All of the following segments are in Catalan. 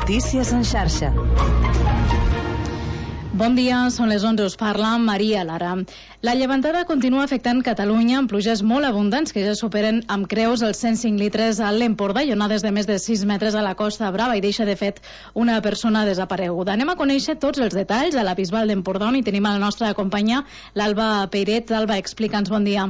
Notícies en xarxa. Bon dia, són les 11, us parla Maria Lara. La llevantada continua afectant Catalunya amb pluges molt abundants que ja superen amb creus els 105 litres a l'Empordà i onades de més de 6 metres a la Costa Brava i deixa de fet una persona desapareguda. Anem a conèixer tots els detalls a la Bisbal d'Empordà on hi tenim a la nostra companya l'Alba Peiret. Alba, explica'ns, bon dia.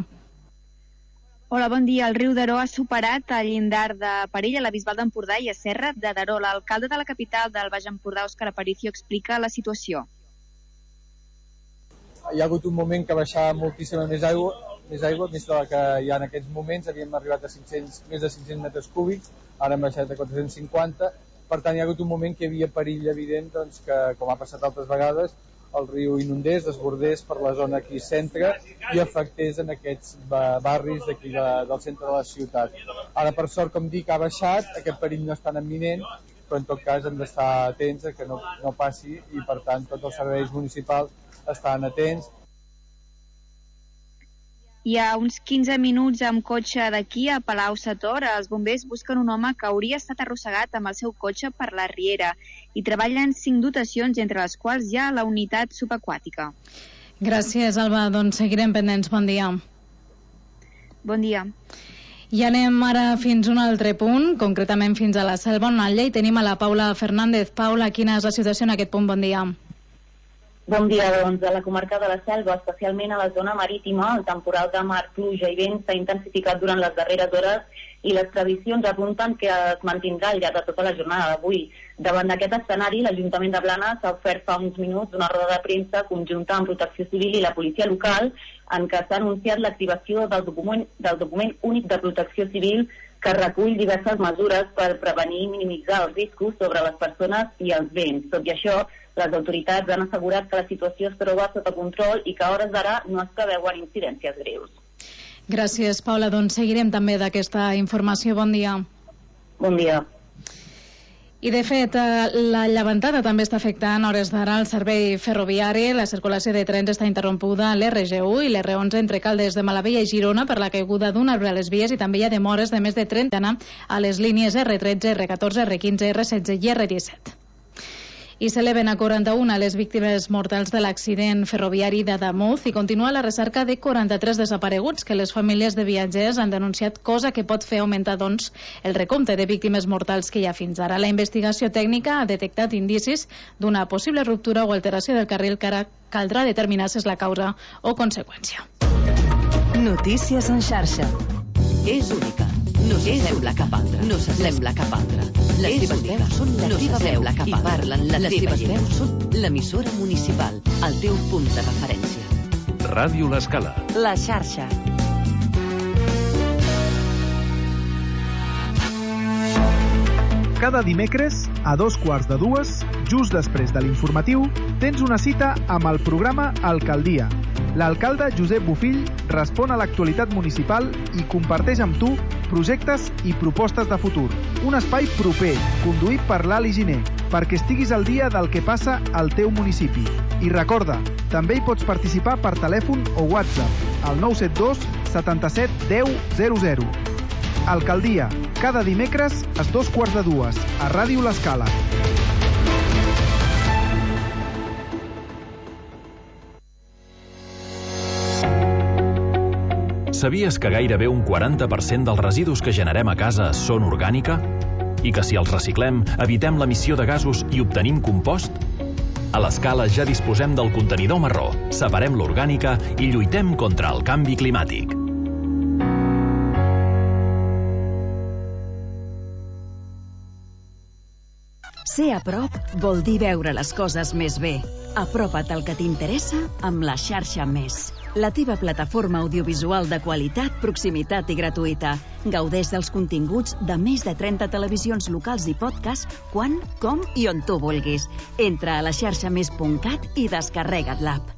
Hola, bon dia. El riu Daró ha superat el llindar de perill a la Bisbal d'Empordà i a Serra de Daró. L'alcalde de la capital del Baix Empordà, Òscar Aparicio, explica la situació. Hi ha hagut un moment que baixava moltíssima més aigua, més de la que hi ha en aquests moments. Havíem arribat a més de 500 metres cúbics, ara hem baixat a 450. Per tant, hi ha hagut un moment que hi havia perill evident doncs, que, com ha passat altres vegades, el riu inundés, desbordés per la zona aquí centre i afectés en aquests barris d'aquí del centre de la ciutat. Ara, per sort, com dic, ha baixat, aquest perill no és tan imminent, però en tot cas hem d'estar atents a que no passi i, per tant, tots els serveis municipals estan atents. Hi ha uns 15 minuts amb cotxe d'aquí a Palau-sator. Els bombers busquen un home que hauria estat arrossegat amb el seu cotxe per la riera i treballen 5 dotacions, entre les quals hi ha la unitat subaquàtica. Gràcies, Alba. Doncs seguirem pendents. Bon dia. Bon dia. I anem ara fins a un altre punt, concretament fins a la Selva, on al Llei tenim a la Paula Fernández. Paula, quina és la situació en aquest punt? Bon dia. Bon dia, doncs, a la comarca de la Selva, especialment a la zona marítima, el temporal de mar, pluja i vent s'ha intensificat durant les darreres hores i les previsions apunten que es mantindrà al llarg de tota la jornada d'avui. Davant d'aquest escenari, l'Ajuntament de Blanes ha ofert fa uns minuts una roda de premsa conjunta amb Protecció Civil i la policia local en què s'ha anunciat l'activació del document únic de Protecció Civil que recull diverses mesures per prevenir i minimitzar els riscos sobre les persones i els béns. Tot i això, les autoritats han assegurat que la situació es troba sota control i que a hores d'ara no es preveuen incidències greus. Gràcies, Paula. Doncs seguirem també d'aquesta informació. Bon dia. Bon dia. I, de fet, la llevantada també està afectant a hores d'ara el servei ferroviari. La circulació de trens està interrompuda a l'RG1 i l'R11 entre Caldes de Malavella i Girona per la caiguda d'un arbre a les vies i també hi ha demores de més de 30 a les línies R13, R14, R15, R16 i R17. I s'eleven a 41 les víctimes mortals de l'accident ferroviari d'Adamuz i continua la recerca de 43 desapareguts que les famílies de viatgers han denunciat, cosa que pot fer augmentar, doncs, el recompte de víctimes mortals que hi ha fins ara. La investigació tècnica ha detectat indicis d'una possible ruptura o alteració del carril que ara caldrà determinar si és la causa o conseqüència. Notícies en xarxa. És única. No s'assembla cap altra. No s'assembla cap altra. Les teves veus són la teva veu i parlen la teva gent. Són l'emissora municipal, el teu punt de referència. Ràdio L'Escala. La xarxa. Cada dimecres, a 2:15, just després de l'informatiu, tens una cita amb el programa Alcaldia. L'alcalde Josep Bofill respon a l'actualitat municipal i comparteix amb tu projectes i propostes de futur. Un espai proper, conduït per l'Ali Giner, perquè estiguis al dia del que passa al teu municipi. I recorda, també hi pots participar per telèfon o WhatsApp al 972 77 10 00. Alcaldia, cada dimecres a 2:15 a Ràdio L'Escala. Sabies que gairebé un 40% dels residus que generem a casa són orgànica? I que si els reciclem, evitem l'emissió de gasos i obtenim compost? A l'Escala ja disposem del contenidor marró, separem l'orgànica i lluitem contra el canvi climàtic. Ser a prop vol dir veure les coses més bé. Apropa't al que t'interessa amb la xarxa Més. La teva plataforma audiovisual de qualitat, proximitat i gratuïta. Gaudeix dels continguts de més de 30 televisions locals i podcast quan, com i on tu vulguis. Entra a laxarxamés.cat i descarrega't l'app.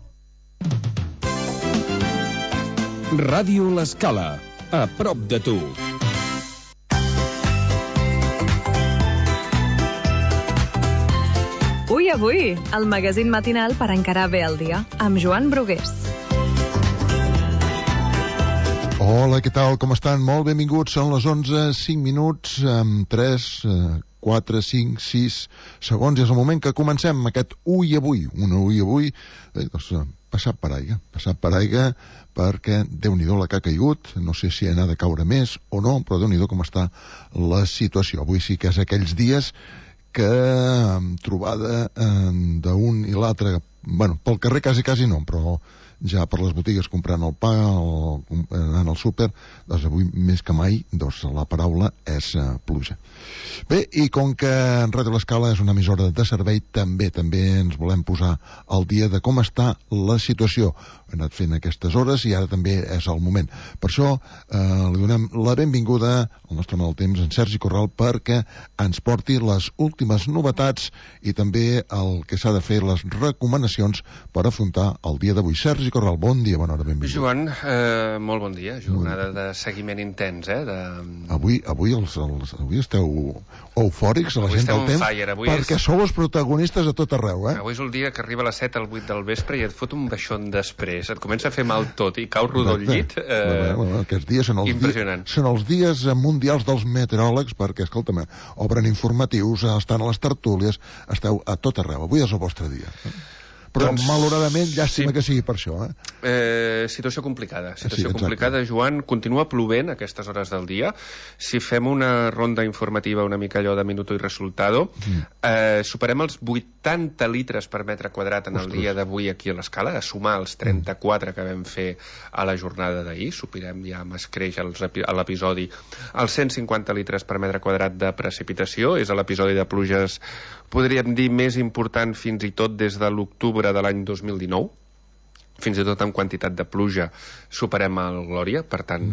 Ràdio L'Escala, a prop de tu. Avui, el magazín matinal per encarar bé el dia, amb Joan Brugués. Hola, què tal? Com estan? Molt benvinguts. Són les 11:05, amb 3 4, 5, 6 segons, i és el moment que comencem aquest Ui Avui, passat per aigua, perquè Déu-n'hi-do la que ha caigut, no sé si n'ha de caure més o no, però Déu-n'hi-do com està la situació. Avui sí que és aquells dies que trobada d'un i l'altre, bueno, pel carrer quasi no, però ja per les botigues comprant el pa, anant al súper, doncs avui més que mai la paraula és pluja. Bé, i com que Ràdio L'Escala és una emissora de servei, també ens volem posar al dia de com està la situació. Hem anat fent aquestes hores i ara també és el moment. Per això li donem la benvinguda al nostre mal temps, en Sergi Corral, perquè ens porti les últimes novetats i també el que s'ha de fer, les recomanacions per afrontar el dia d'avui. Sergi Corral, bon dia, bona hora, benvingut. Joan, molt bon dia, jornada de seguiment intens, Avui esteu eufòrics a la gent del temps, perquè sou els protagonistes a tot arreu, Avui és el dia que arriba a les 7 al 8 del vespre i et fot un baixón després, et comença a fer mal tot i cau rodó al llit. Aquests dies són els dies mundials dels meteoròlegs, perquè, escolta'm, obren informatius, estan a les tertúlies, esteu a tot arreu. Avui és el vostre dia. Però malauradament llàstima que sigui per això, Situació complicada, Joan. Continua plovent a aquestes hores del dia. Si fem una ronda informativa una mica allò de minuto i resultado, superem els 80 litres per metre quadrat en el dia d'avui aquí a l'Escala, a sumar els 34 que vam fer a la jornada d'ahir. Superem ja amb escreix a l'episodi els 150 litres per metre quadrat de precipitació. És l'episodi de pluges, podríem dir, més important fins i tot des de l'octubre de l'any 2019, fins i tot en quantitat de pluja superem el Glòria, per tant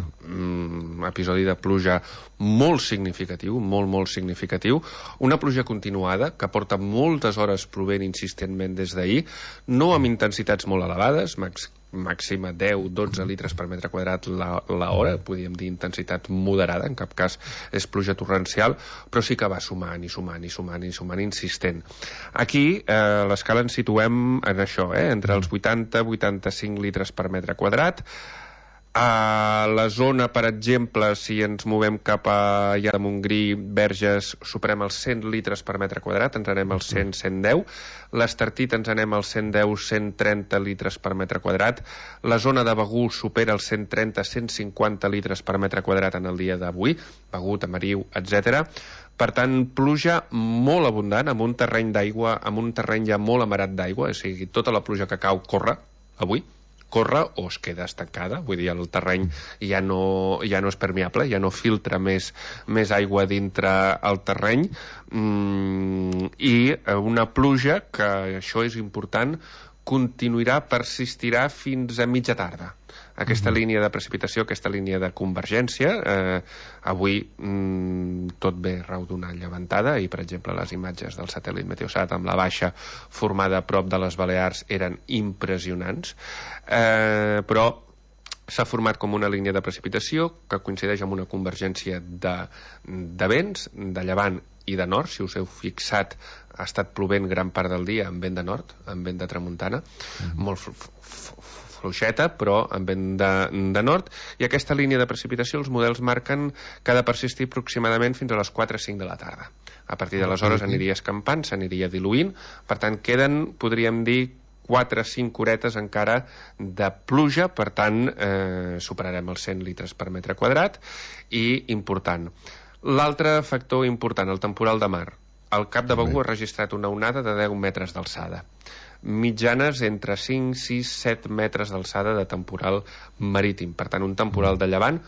episodi de pluja molt significatiu, molt significatiu, una pluja continuada que porta moltes hores plovent insistentment des d'ahir, no amb intensitats molt elevades, màxima 10-12 litres per metre quadrat l'hora, podríem dir intensitat moderada, en cap cas és pluja torrencial, però sí que va sumant insistent. Aquí a l'Escala ens situem en això, entre els 80-85 litres per metre quadrat. A la zona, per exemple, si ens movem cap a de Montgrí, Verges, superem els 100 litres per metre quadrat, ens anem als 100-110. L'Estartit ens anem als 110-130 litres per metre quadrat. La zona de Begur supera els 130-150 litres per metre quadrat en el dia d'avui, Begur, Tamariu, etc. Per tant, pluja molt abundant, amb un terreny d'aigua, amb un terreny ja molt amarat d'aigua, o sigui, tota la pluja que cau corre avui, corre o es queda estancada, vull dir, el terreny ja no és permeable, ja no filtra més aigua dintre el terreny, i una pluja que, això és important, persistirà fins a mitja tarda. Aquesta línia de precipitació, aquesta línia de convergència, avui tot ve rau d'una llevantada i, per exemple, les imatges del satèl·lit Meteosat amb la baixa formada a prop de les Balears eren impressionants, però s'ha format com una línia de precipitació que coincideix amb una convergència de vents, de llevant i de nord. Si us heu fixat, ha estat plovent gran part del dia amb vent de nord, amb vent de tramuntana, molt fluixeta, però amb vent de nord, i aquesta línia de precipitació els models marquen que ha de persistir aproximadament fins a les 4-5 de la tarda. A partir d'aleshores aniria escampant, s'aniria diluint, per tant queden, podríem dir, 4-5 horetes encara de pluja, per tant superarem els 100 litres per metre quadrat, i important. L'altre factor important, el temporal de mar. Al Cap de Begur ha registrat una onada de 10 metres d'alçada. Mitjanes entre 5, 6, 7 metres d'alçada de temporal marítim. Per tant, un temporal de llevant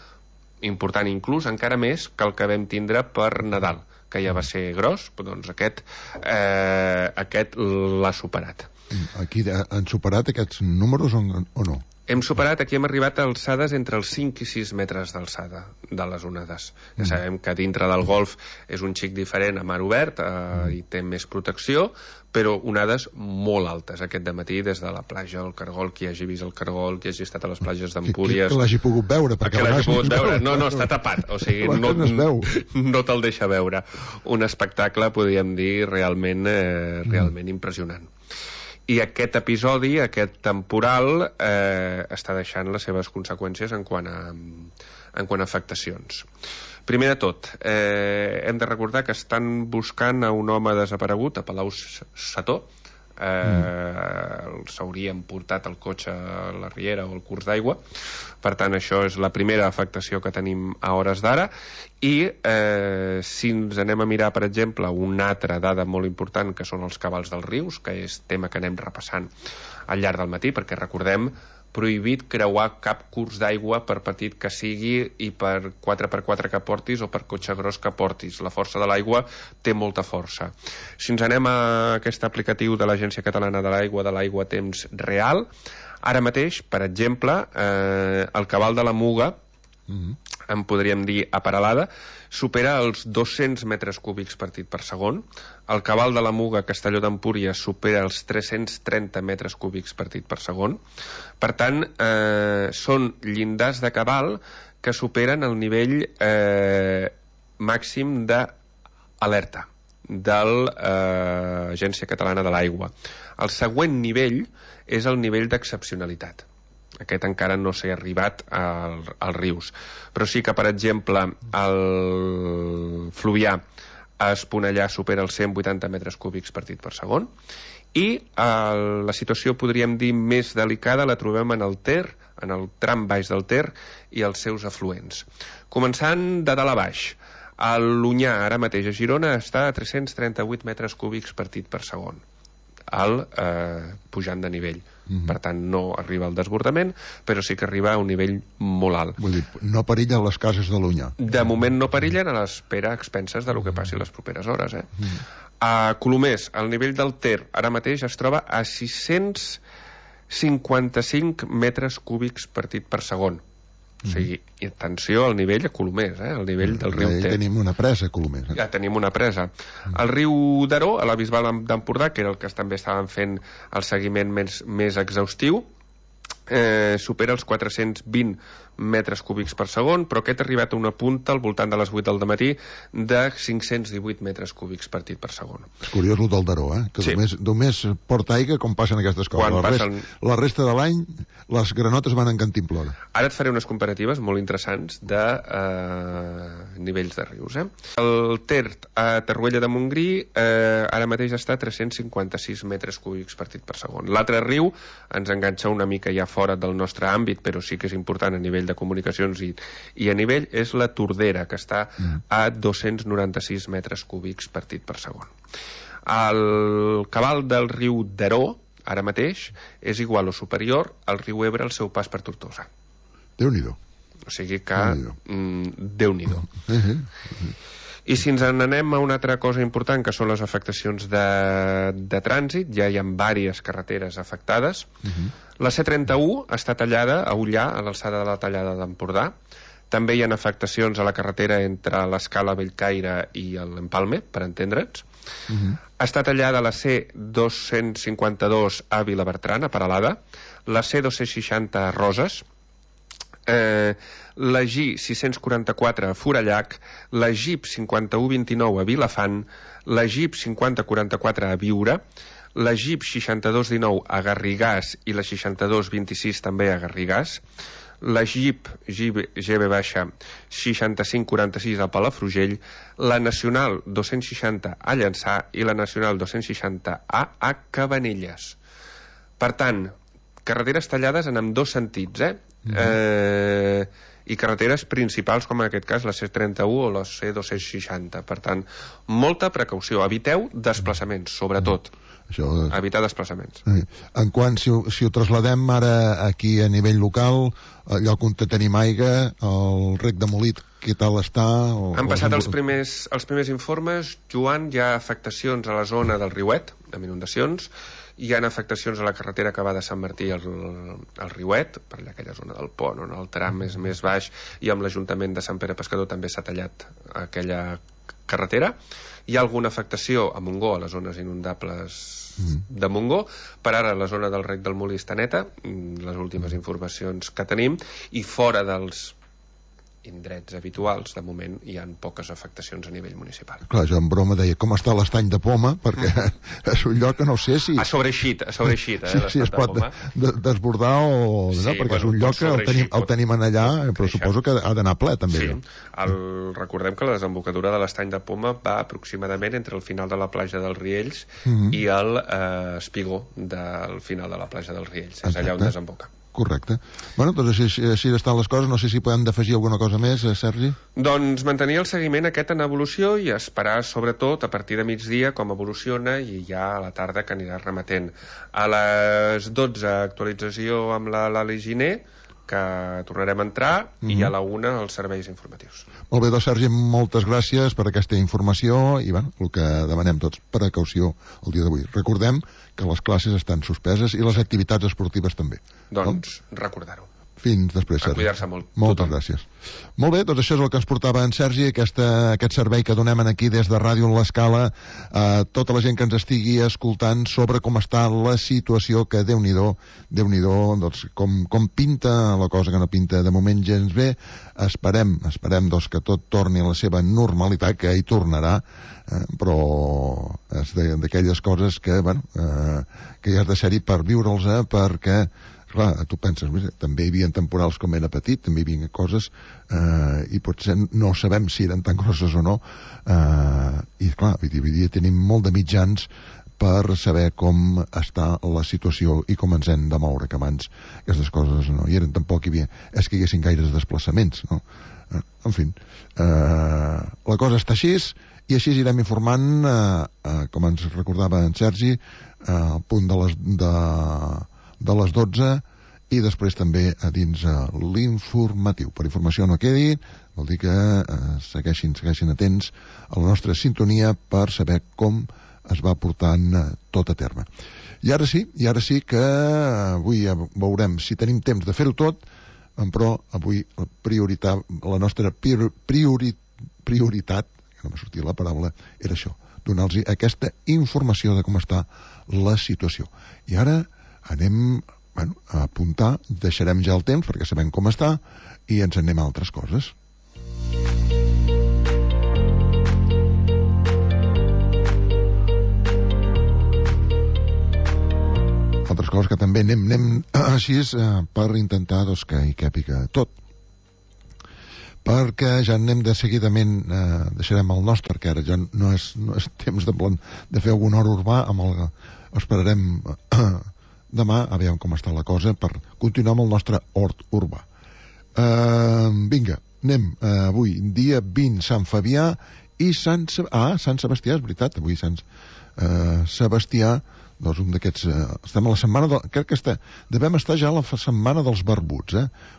important, inclús encara més que el que vam tindre per Nadal, que ja va ser gros, però doncs aquest l'ha superat. Aquí han superat aquests números o no? Hem superat, aquí hem arribat a alçades entre els 5 i 6 metres d'alçada de les onades. Ja sabem que dintre del golf és un xic diferent a mar obert, i té més protecció, però onades molt altes aquest dematí des de la platja del Cargol. Qui hagi vist el Cargol, qui hagi estat a les platges d'Empúries... Que l'hagi pogut veure. Que l'hagi pogut veure. No, està tapat. O sigui, no te'l deixa veure. Un espectacle, podríem dir, realment impressionant. I aquest episodi, aquest temporal, està deixant les seves conseqüències en quant en quant a afectacions. Primer de tot, hem de recordar que estan buscant a un home desaparegut a Palau-Sator. S'haurien portat el cotxe a la riera o al curs d'aigua. Per tant, això és la primera afectació que tenim a hores d'ara. I si ens anem a mirar, per exemple, una altra dada molt important, que són els cabals dels rius, que és tema que anem repassant al llarg del matí, perquè recordem, prohibit creuar cap curs d'aigua, per petit que sigui, i per 4x4 que portis o per cotxe gros que portis. La força de l'aigua té molta força. Si ens anem a aquest aplicatiu de l'Agència Catalana de l'Aigua, de l'aigua a temps real, ara mateix, per exemple, el cabal de la Muga, en podríem dir a Peralada, supera els 200 metres cúbics per segon. El cabal de la Muga a Castelló d'Empúries supera els 330 metres cúbics per segon. Per tant, són llindars de cabal que superen el nivell màxim d'alerta de l'Agència Catalana de l'Aigua. El següent nivell és el nivell d'excepcionalitat. Aquest encara no s'ha arribat als rius. Però sí que, per exemple, el Fluvià a Esponellà supera els 180 metres cúbics per segon. I la situació, podríem dir, més delicada la trobem en el Ter, en el tram baix del Ter i els seus afluents. Començant de dalt a baix, el Lunyà, ara mateix a Girona, està a 338 metres cúbics per segon, pujant de nivell. Per tant, no arriba al desbordament, però sí que arriba a un nivell molt alt. Vull dir, no perillen les cases de l'Unyà. De moment no perillen, a l'espera a expenses del que passi les properes hores. A Colomers, el nivell del Ter ara mateix es troba a 655 metres cúbics per segon. O sigui, atenció al nivell a Colomers, el nivell del riu Ter. Tenim una presa a Colomers. Ja tenim una presa. El riu Daró, a la Bisbal d'Empordà, que era el que també estaven fent el seguiment més exhaustiu, supera els 420 metres cúbics per segon, però aquest ha arribat a una punta al voltant de les 8 del matí de 518 metres cúbics per segon. És curiós el del Daró, que sí. Només porta aigua com passen aquestes coses. La resta de l'any les granotes van en cantimplora. Ara et faré unes comparatives molt interessants de nivells de rius. El Ter a Torroella de Montgrí ara mateix està a 356 metres cúbics per segon. L'altre riu ens enganxa una mica ja fora del nostre àmbit, però sí que és important a nivell de comunicacions i a nivell, és la Tordera, que està a 296 metres cúbics per segon. El cabal del riu Daró, ara mateix, és igual o superior al riu Ebre al seu pas per Tortosa. Déu-n'hi-do. O sigui que Déu-n'hi-do. I si ens n'anem a una altra cosa important, que són les afectacions de trànsit, ja hi ha diverses carreteres afectades. La C31 està tallada a Ullà, a l'alçada de la tallada d'Empordà. També hi ha afectacions a la carretera entre l'Escala Bellcaire i l'Empalme, per entendre'ns. Està tallada la C252 a Vilabertran, a Peralada, la C260 a Roses, la G644 a Forallac, la GIP 5129 a Vilafant, la GIP 5044 a Biure, la GIP 6219 a Garrigàs i la 6226 també a Garrigàs, la GIP GB 6546 a Palafrugell, la Nacional 260 a Llançà i la Nacional 260 a Cabanelles. Per tant, carreteres tallades en ambdós sentits, i carreteres principals, com en aquest cas la C31 o la C260. Per tant, molta precaució. Eviteu desplaçaments, sobretot. Evitar desplaçaments. En quant, si ho trasladem ara aquí a nivell local, allò on tenim aigua, el rec de Molit, què tal està? Han passat els primers informes, Joan. Hi ha afectacions a la zona del Riuet, amb inundacions. Hi ha afectacions a la carretera que va de Sant Martí al Riuet, per allà aquella zona del pont, on el tram és més baix, i amb l'Ajuntament de Sant Pere Pescador també s'ha tallat aquella carretera. Hi ha alguna afectació a Montgó, a les zones inundables de Montgó. Per ara la zona del rec del Molí està neta, les últimes informacions que tenim, i fora dels indrets habituals, de moment hi ha poques afectacions a nivell municipal. Clar, jo en broma deia com està l'estany de Poma, perquè és un lloc que no sé si... Ha sobreeixit, sí, es pot desbordar o... Sí, no? Perquè és un lloc que el tenim allà, però suposo que ha d'anar ple, també. Sí, recordem que la desembocadura de l'estany de Poma va aproximadament entre el final de la platja dels Riells i el espigó del final de la platja dels Riells. És allà on desemboca. Correcte. Bueno, doncs així estan les coses. No sé si podem d'afegir alguna cosa més, Sergi? Doncs mantenir el seguiment aquest en evolució i esperar, sobretot, a partir de migdia com evoluciona i ja a la tarda que anirà remetent. A les 12, actualització amb l'Ali Giner, que tornarem a entrar, i a la 1 els serveis informatius. Molt bé, doncs, Sergi, moltes gràcies per aquesta informació i, bueno, el que demanem tots, precaució el dia d'avui. Recordem que les classes estan suspeses i les activitats esportives també. Doncs recordar-ho. Fins després, Sergi. A cuidar-se molt. Moltes gràcies. Molt bé, doncs això és el que ens portava en Sergi, aquest servei que donem aquí des de Ràdio l'Escala a tota la gent que ens estigui escoltant sobre com està la situació, que Déu-n'hi-do, doncs, com pinta la cosa, que no pinta de moment gens bé. Esperem doncs, que tot torni a la seva normalitat, que hi tornarà, però és d'aquelles coses que, bueno, que hi has de ser-hi per viure'ls, perquè clar, tu penses, també hi havia temporals com era petit, també hi havia coses i potser no sabem si eren tan grosses o no, i clar, avui dia tenim molt de mitjans per saber com està la situació i com ens hem de moure, que abans aquestes coses no hi eren, tampoc hi havia, és que hi haguessin gaires desplaçaments, no? En fi, la cosa està així, i així irem informant, com ens recordava en Sergi, al punt de les 12, i després també a dins l'informatiu. Per informació no quedi, vol dir que segueixin atents a la nostra sintonia per saber com es va portant tot a terme. I ara sí que avui veurem si tenim temps de fer-ho tot, però avui la nostra prioritat, que no m'ha sortit la paraula, era això, donar-los aquesta informació de com està la situació. I ara anem a apuntar, deixarem ja el temps perquè sabem com està i ens anem a altres coses. Altres coses que també anem així per intentar que hi càpiga tot, perquè ja anem de seguidament, deixarem el nostre, perquè ara ja no és temps de fer algun hora urbà, esperarem demà a veure com està la cosa per continuar amb el nostre hort urbà. Vinga, anem avui, dia 20, Sant Fabià i Sant Sebastià, és veritat, avui Sant Sebastià, doncs un d'aquests, estem a la setmana, crec que devem estar ja a la setmana dels barbuts,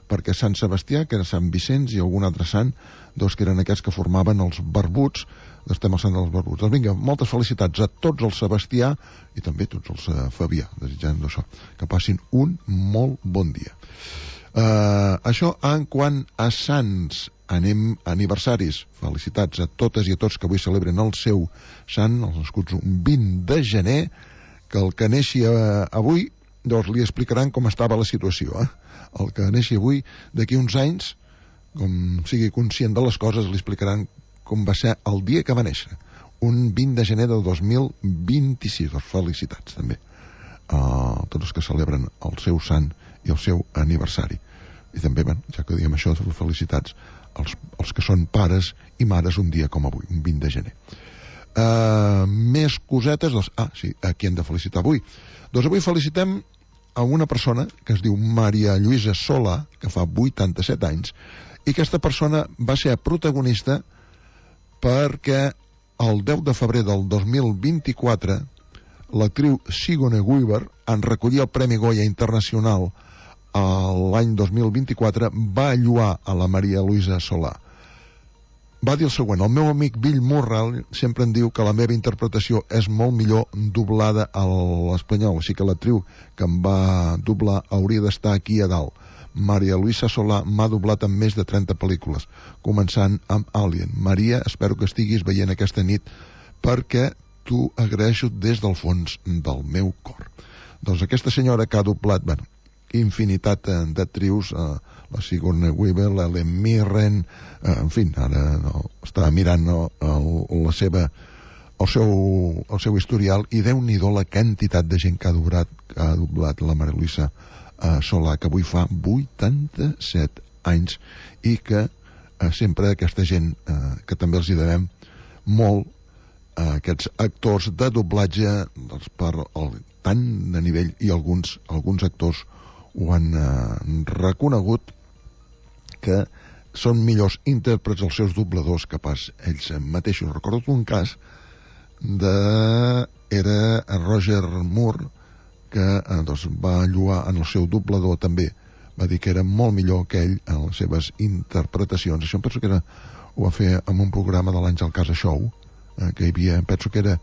perquè Sant Sebastià, que era Sant Vicenç, i algun altre sant, doncs que eren aquests que formaven els barbuts, estem al sant dels barbuts. Doncs vinga, moltes felicitats a tots els Sebastià i també a tots els Fabià, desitjant això, que passin un molt bon dia. Això en quant a sants, anem a aniversaris. Felicitats a totes i a tots que avui celebren el seu sant, els nascuts un 20 de gener, que el que neixi avui, doncs li explicaran com estava la situació. El que neixi avui, d'aquí uns anys, com sigui conscient de les coses, li explicaran com va ser el dia que va néixer, un 20 de gener del 2026. Doncs felicitats també a tots els que celebren el seu sant i el seu aniversari. I també, ja que diem això, felicitats als que són pares i mares un dia com avui, un 20 de gener. Més cosetes, doncs, sí, a qui hem de felicitar avui? Doncs avui felicitem a una persona que es diu Maria Lluïsa Solà, que fa 87 anys, i aquesta persona va ser protagonista perquè el 10 de febrer del 2024 l'actriu Sigourney Weaver, en recollir el Premi Goya Internacional l'any 2024, va lloar a la Maria Lluïsa Solà. Va dir el següent: el meu amic Bill Murrell sempre em diu que la meva interpretació és molt millor doblada a l'espanyol, així que l'actriu que em va doblar hauria d'estar aquí a dalt. Maria Lluïsa Solà m'ha doblat en més de 30 pel·lícules, començant amb Alien. Maria, espero que estiguis veient aquesta nit, perquè t'ho agraeixo des del fons del meu cor. Doncs aquesta senyora que ha doblat, infinitat d'actrius, la Sigourney Weaver, l'Ellen Mirren, en fi, ara està mirant el seu historial, i Déu-n'hi-do la quantitat de gent que ha doblat la Maria Luisa Solà, que avui fa 87 anys, i que sempre aquesta gent, que també els hi devem molt, aquests actors de doblatge, per tant de nivell, i alguns actors ho han reconegut, que són millors intèrprets els seus dobladors que pas ells mateixos. Recordo un cas era Roger Moore, que va lloar en el seu doblador també, va dir que era molt millor que ell en les seves interpretacions. Això em penso que ho va fer en un programa de l'Àngel Casa Show, que hi havia, penso que era,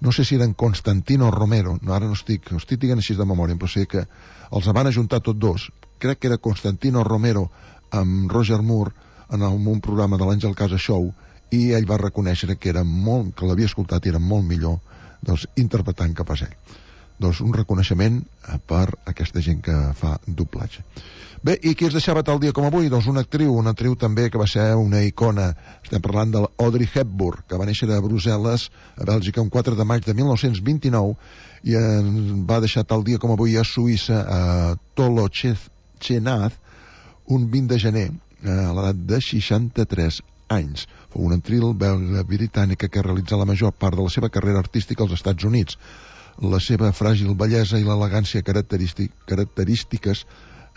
no sé si eren Constantino Romero, ara no estic dient així de memòria, però sé que els van ajuntar tots dos, crec que era Constantino Romero amb Roger Moore en un programa de l'Àngel Casa Show, i ell va reconèixer que l'havia escoltat i era molt millor interpretant que pas ell. Doncs un reconeixement per aquesta gent que fa doblatge. Bé, i qui es deixava tal dia com avui? Doncs una actriu també que va ser una icona. Estem parlant de l'Audrey Hepburn, que va néixer a Brussel·les, a Bèlgica, un 4 de maig de 1929, i va deixar tal dia com avui a Suïssa, a Tolochenaz, un 20 de gener, a l'edat de 63 anys. Fou una actriu belga britànica que realitzà la major part de la seva carrera artística als Estats Units. La seva fràgil bellesa i l'elegància característiques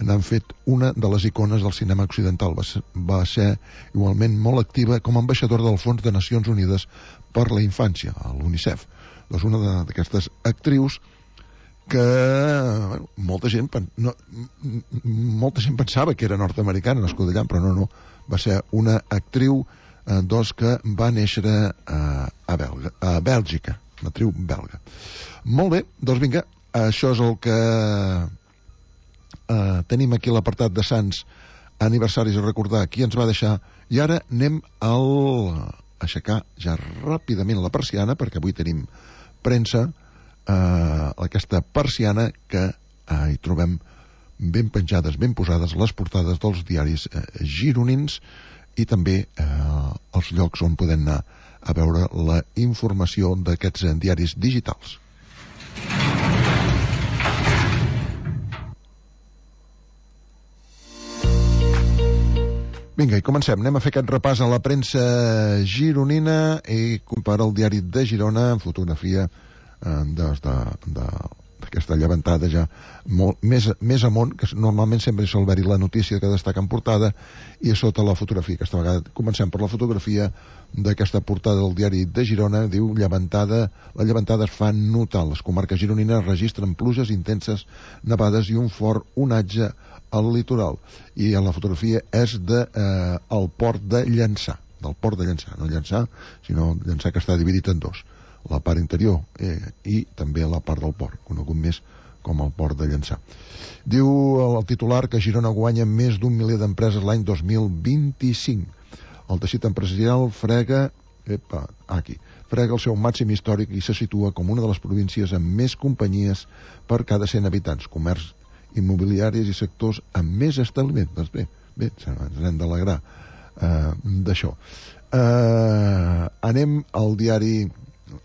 n'han fet una de les icones del cinema occidental. Va ser igualment molt activa com a ambaixadora del Fons de Nacions Unides per la Infància, a l'UNICEF. Doncs una d'aquestes actrius que molta gent pensava que era nord-americana, nascuda allà, però no, va ser una actriu que va néixer a Bèlgica, una actriu belga. Molt bé, doncs vinga, això és el que tenim aquí a l'apartat de Sants, aniversaris a recordar, qui ens va deixar, i ara anem a aixecar ja ràpidament la persiana, perquè avui tenim premsa, aquesta persiana que hi trobem ben penjades, ben posades les portades dels diaris gironins, i també els llocs on podem anar a veure la informació d'aquests diaris digitals. Vinga, i comencem. Anem a fer aquest repàs a la premsa gironina i comparar el diari de Girona en fotografia d'aquesta llevantada ja més amunt, que normalment sempre sol haver-hi la notícia que destaca en portada, i a sota la fotografia. Aquesta vegada comencem per la fotografia d'aquesta portada del diari de Girona. Diu: la llevantada es fa notar. Les comarques gironines registren pluges intenses, nevades i un fort onatge al litoral. I la fotografia és del port de Llançà, no Llançà, sinó Llançà, que està dividit en dos, la part interior i també la part del port, conegut més com el port de Llançà. Diu el titular que Girona guanya més d'1 milió d'empreses l'any 2025. El teixit empresarial frega el seu màxim històric i se situa com una de les províncies amb més companyies per cada 100 habitants, comerç, immobiliaris i sectors amb més establiment. Doncs bé, ens hem d'alegrar d'això. Anem al diari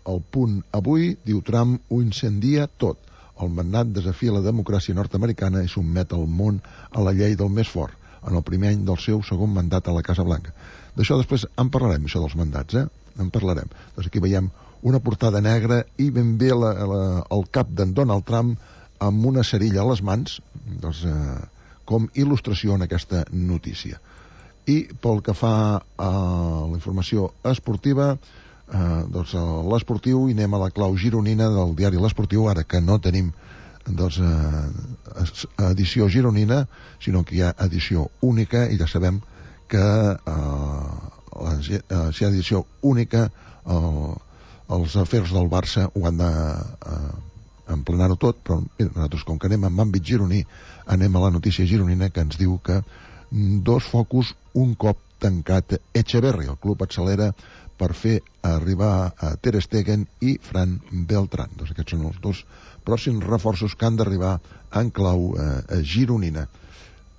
El Punt avui. Diu: Trump ho incendia tot. El magnat desafia la democràcia nord-americana i sotmet el món a la llei del més fort en el primer any del seu segon mandat a la Casa Blanca. D'això després en parlarem, això dels mandats, en parlarem. Doncs aquí veiem una portada negra i ben bé el cap d'en Donald Trump amb una cerilla a les mans, doncs, com il·lustració en aquesta notícia. I pel que fa a la informació esportiva, doncs l'esportiu, i anem a la clau gironina del diari L'Esportiu, ara que no tenim edició gironina, sinó que hi ha edició única, i ja sabem que si hi ha edició única els afers del Barça ho han d'emplenar-ho tot, però mira, nosaltres, com que anem amb àmbit gironí, anem a la notícia gironina, que ens diu que 2 focus un cop tancat Echeverri. El club accelera per fer arribar a Ter Stegen i Fran Beltrán. Doncs aquests són els 2 pròxims reforços que han d'arribar en clau gironina.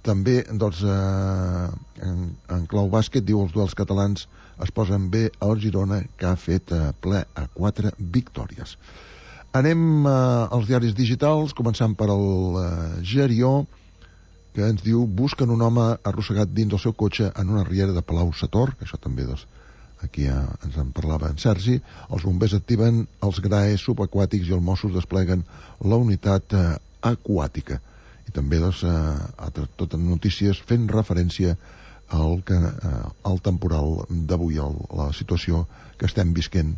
També, doncs, en clau bàsquet, diu, els duels catalans es posen bé al Girona, que ha fet ple a 4 victòries. Anem als diaris digitals, començant per el Gerió, que ens diu: busquen un home arrossegat dins del seu cotxe en una riera de Palau-sator, que això també, doncs, aquí ens en parlava en Sergi. Els bombers activen els graes subaquàtics i els Mossos despleguen la unitat aquàtica. I també, doncs, totes notícies fent referència al temporal d'avui, la situació que estem visquent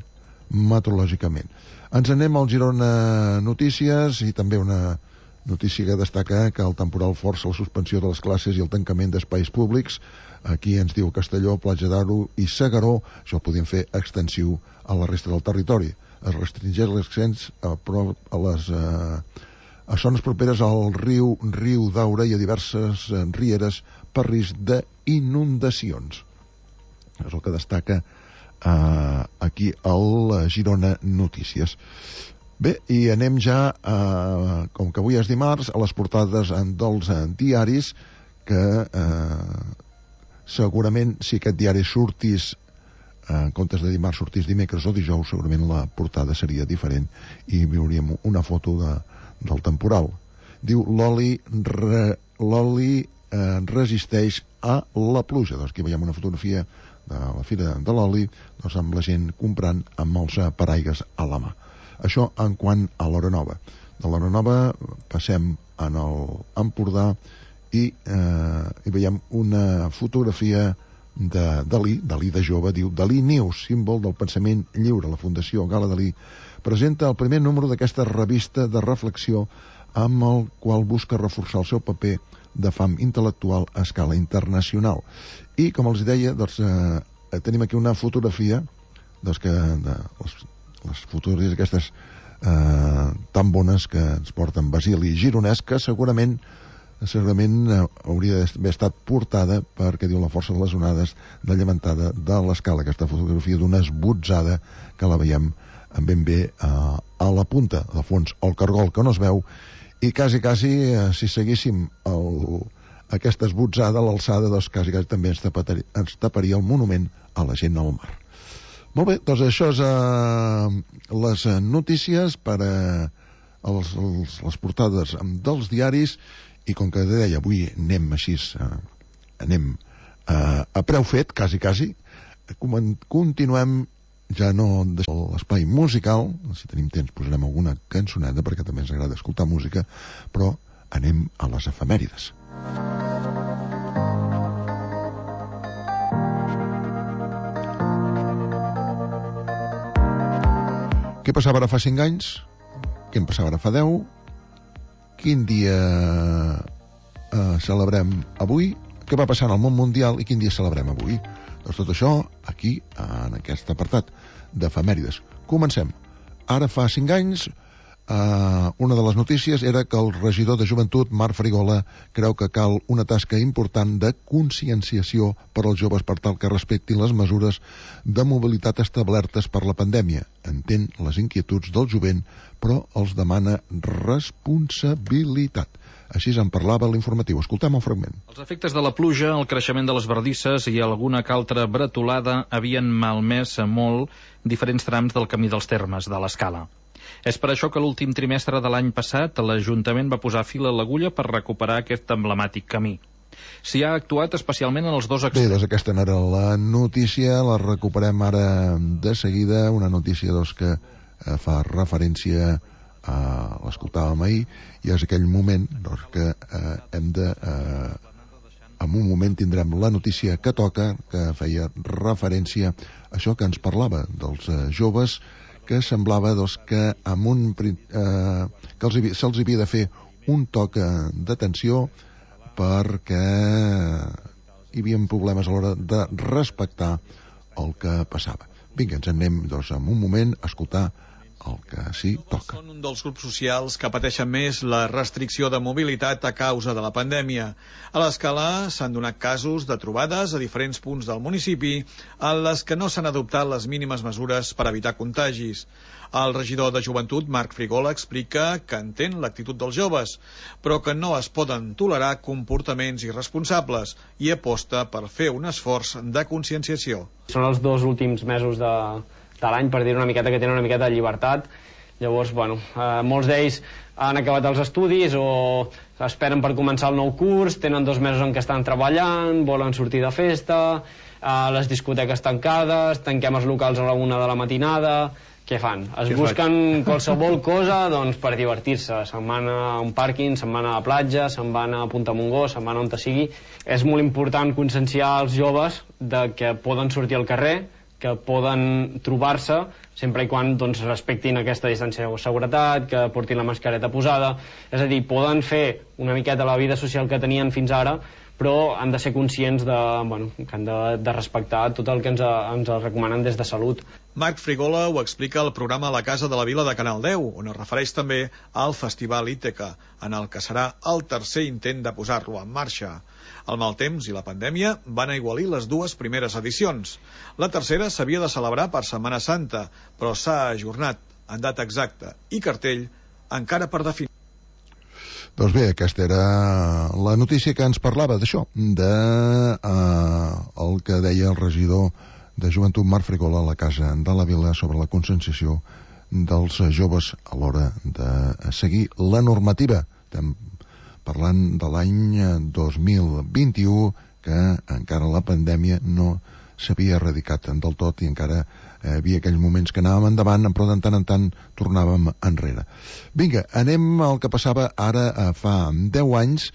meteorològicament. Ens anem al Girona Notícies, i també una notícia que destaca que el temporal força la suspensió de les classes i el tancament d'espais públics. Aquí ens diu Castelló, Platja d'Aro i Segaró. Això ho podien fer extensiu a la resta del territori. Es restringeix l'accés a zones properes al riu Daura i a diverses rieres per risc d'inundacions. És el que destaca aquí al Girona Notícies. Bé, i anem ja, com que avui és dimarts, a les portades dels diaris, que segurament, si aquest diari sortís, en comptes de dimarts sortís dimecres o dijous, segurament la portada seria diferent i veuríem una foto del temporal. Diu: l'oli resisteix a la pluja. Doncs aquí veiem una fotografia de la Fira de l'Oli, doncs, amb la gent comprant amb els paraigues a la mà. Això en quant a l'Hora Nova. De l'Hora Nova passem en l'Empordà i veiem una fotografia de Dalí de jove. Diu: Dalí News, símbol del pensament lliure. La Fundació Gala Dalí presenta el primer número d'aquesta revista de reflexió amb el qual busca reforçar el seu paper de fam intel·lectual a escala internacional. I, com els deia, doncs, tenim aquí una fotografia, doncs, que les fotografies aquestes tan bones que ens porten Basili Gironès, que segurament hauria d'haver estat portada perquè diu la força de les onades de llevantada de l'escala. Aquesta fotografia d'una esbotzada que la veiem ben bé a la punta, de fons, el cargol que no es veu, i quasi, si seguíssim aquesta esbotzada a l'alçada, doncs quasi també ens taparia el monument a la gent al mar. Molt bé, doncs això és les notícies per les portades dels diaris, i com que deia, avui anem així, anem a preu fet, quasi, continuem, ja no deixem l'espai musical, si tenim temps posarem alguna cançoneta, perquè també ens agrada escoltar música, però anem a les efemèrides. Què passava ara fa 5 anys? Què en passava ara fa 10? Quin dia celebrem avui? Què va passar en el món mundial i quin dia celebrem avui? Doncs tot això aquí, en aquest apartat d'efemèrides. Comencem. Ara fa 5 anys, una de les notícies era que el regidor de Joventut, Marc Farigola, creu que cal una tasca important de conscienciació per als joves per tal que respectin les mesures de mobilitat establertes per la pandèmia. Entén les inquietuds del jovent, però els demana responsabilitat. Així en parlava l'informatiu. Escoltem el fragment. Els efectes de la pluja, el creixement de les bardisses i alguna que altra bretolada havien malmès molt diferents trams del camí dels Termes, de l'Escala. És per això que l'últim trimestre de l'any passat l'Ajuntament va posar fil a l'agulla per recuperar aquest emblemàtic camí. S'hi ha actuat especialment en els dos extrems. Bé, doncs aquesta era la notícia, la recuperem ara de seguida, una notícia que fa referència l'escoltàvem ahir, i és aquell moment que hem de en un moment tindrem la notícia que toca, que feia referència a això que ens parlava dels joves, que semblava que se'ls havia de fer un toc d'atenció perquè hi havia problemes a l'hora de respectar el que passava. Vinga, ens anem en un moment a escoltar el que sí toca. Són un dels grups socials que pateixen més la restricció de mobilitat a causa de la pandèmia. A l'Escala s'han donat casos de trobades a diferents punts del municipi en les que no s'han adoptat les mínimes mesures per evitar contagis. El regidor de Joventut, Marc Frigola, explica que entén l'actitud dels joves, però que no es poden tolerar comportaments irresponsables i aposta per fer un esforç de conscienciació. Són els 2 últims mesos de l'any, per dir una miqueta, que tenen una miqueta de llibertat. Llavors, molts d'ells han acabat els estudis o esperen per començar el nou curs, tenen 2 mesos en què estan treballant, volen sortir de festa, les discoteques tancades, tanquem els locals a la 1 de la matinada. Què fan? Busquen qualsevol cosa per divertir-se. Se'n van a un pàrquing, se'n van a la platja, se'n van a Punta Montgó, se'n van on sigui. És molt important conscienciar els joves de que poden sortir al carrer, que poden trobar-se, sempre i quan respectin aquesta distància de seguretat, que portin la mascareta posada. És a dir, poden fer una miqueta la vida social que tenien fins ara, però han de ser conscients que han de respectar tot el que ens recomanen des de Salut. Marc Frigola ho explica al programa La Casa de la Vila de Canal 10, on es refereix també al Festival Íteca, en el que serà el 3è intent de posar-lo en marxa. El mal temps i la pandèmia van aigualir les 2 primeres edicions. La tercera s'havia de celebrar per Setmana Santa, però s'ha ajornat en data exacta i cartell encara per definir. Doncs bé, aquesta era la notícia que ens parlava d'això, el que deia el regidor de Joventut, Marc Frigola, a la Casa de la Vila sobre la conscienciació dels joves a l'hora de seguir la normativa. Estem parlant de l'any 2021, que encara la pandèmia no s'havia erradicat del tot i encara hi havia aquells moments que anàvem endavant, però de tant en tant tornàvem enrere. Vinga, anem al que passava ara fa 10 anys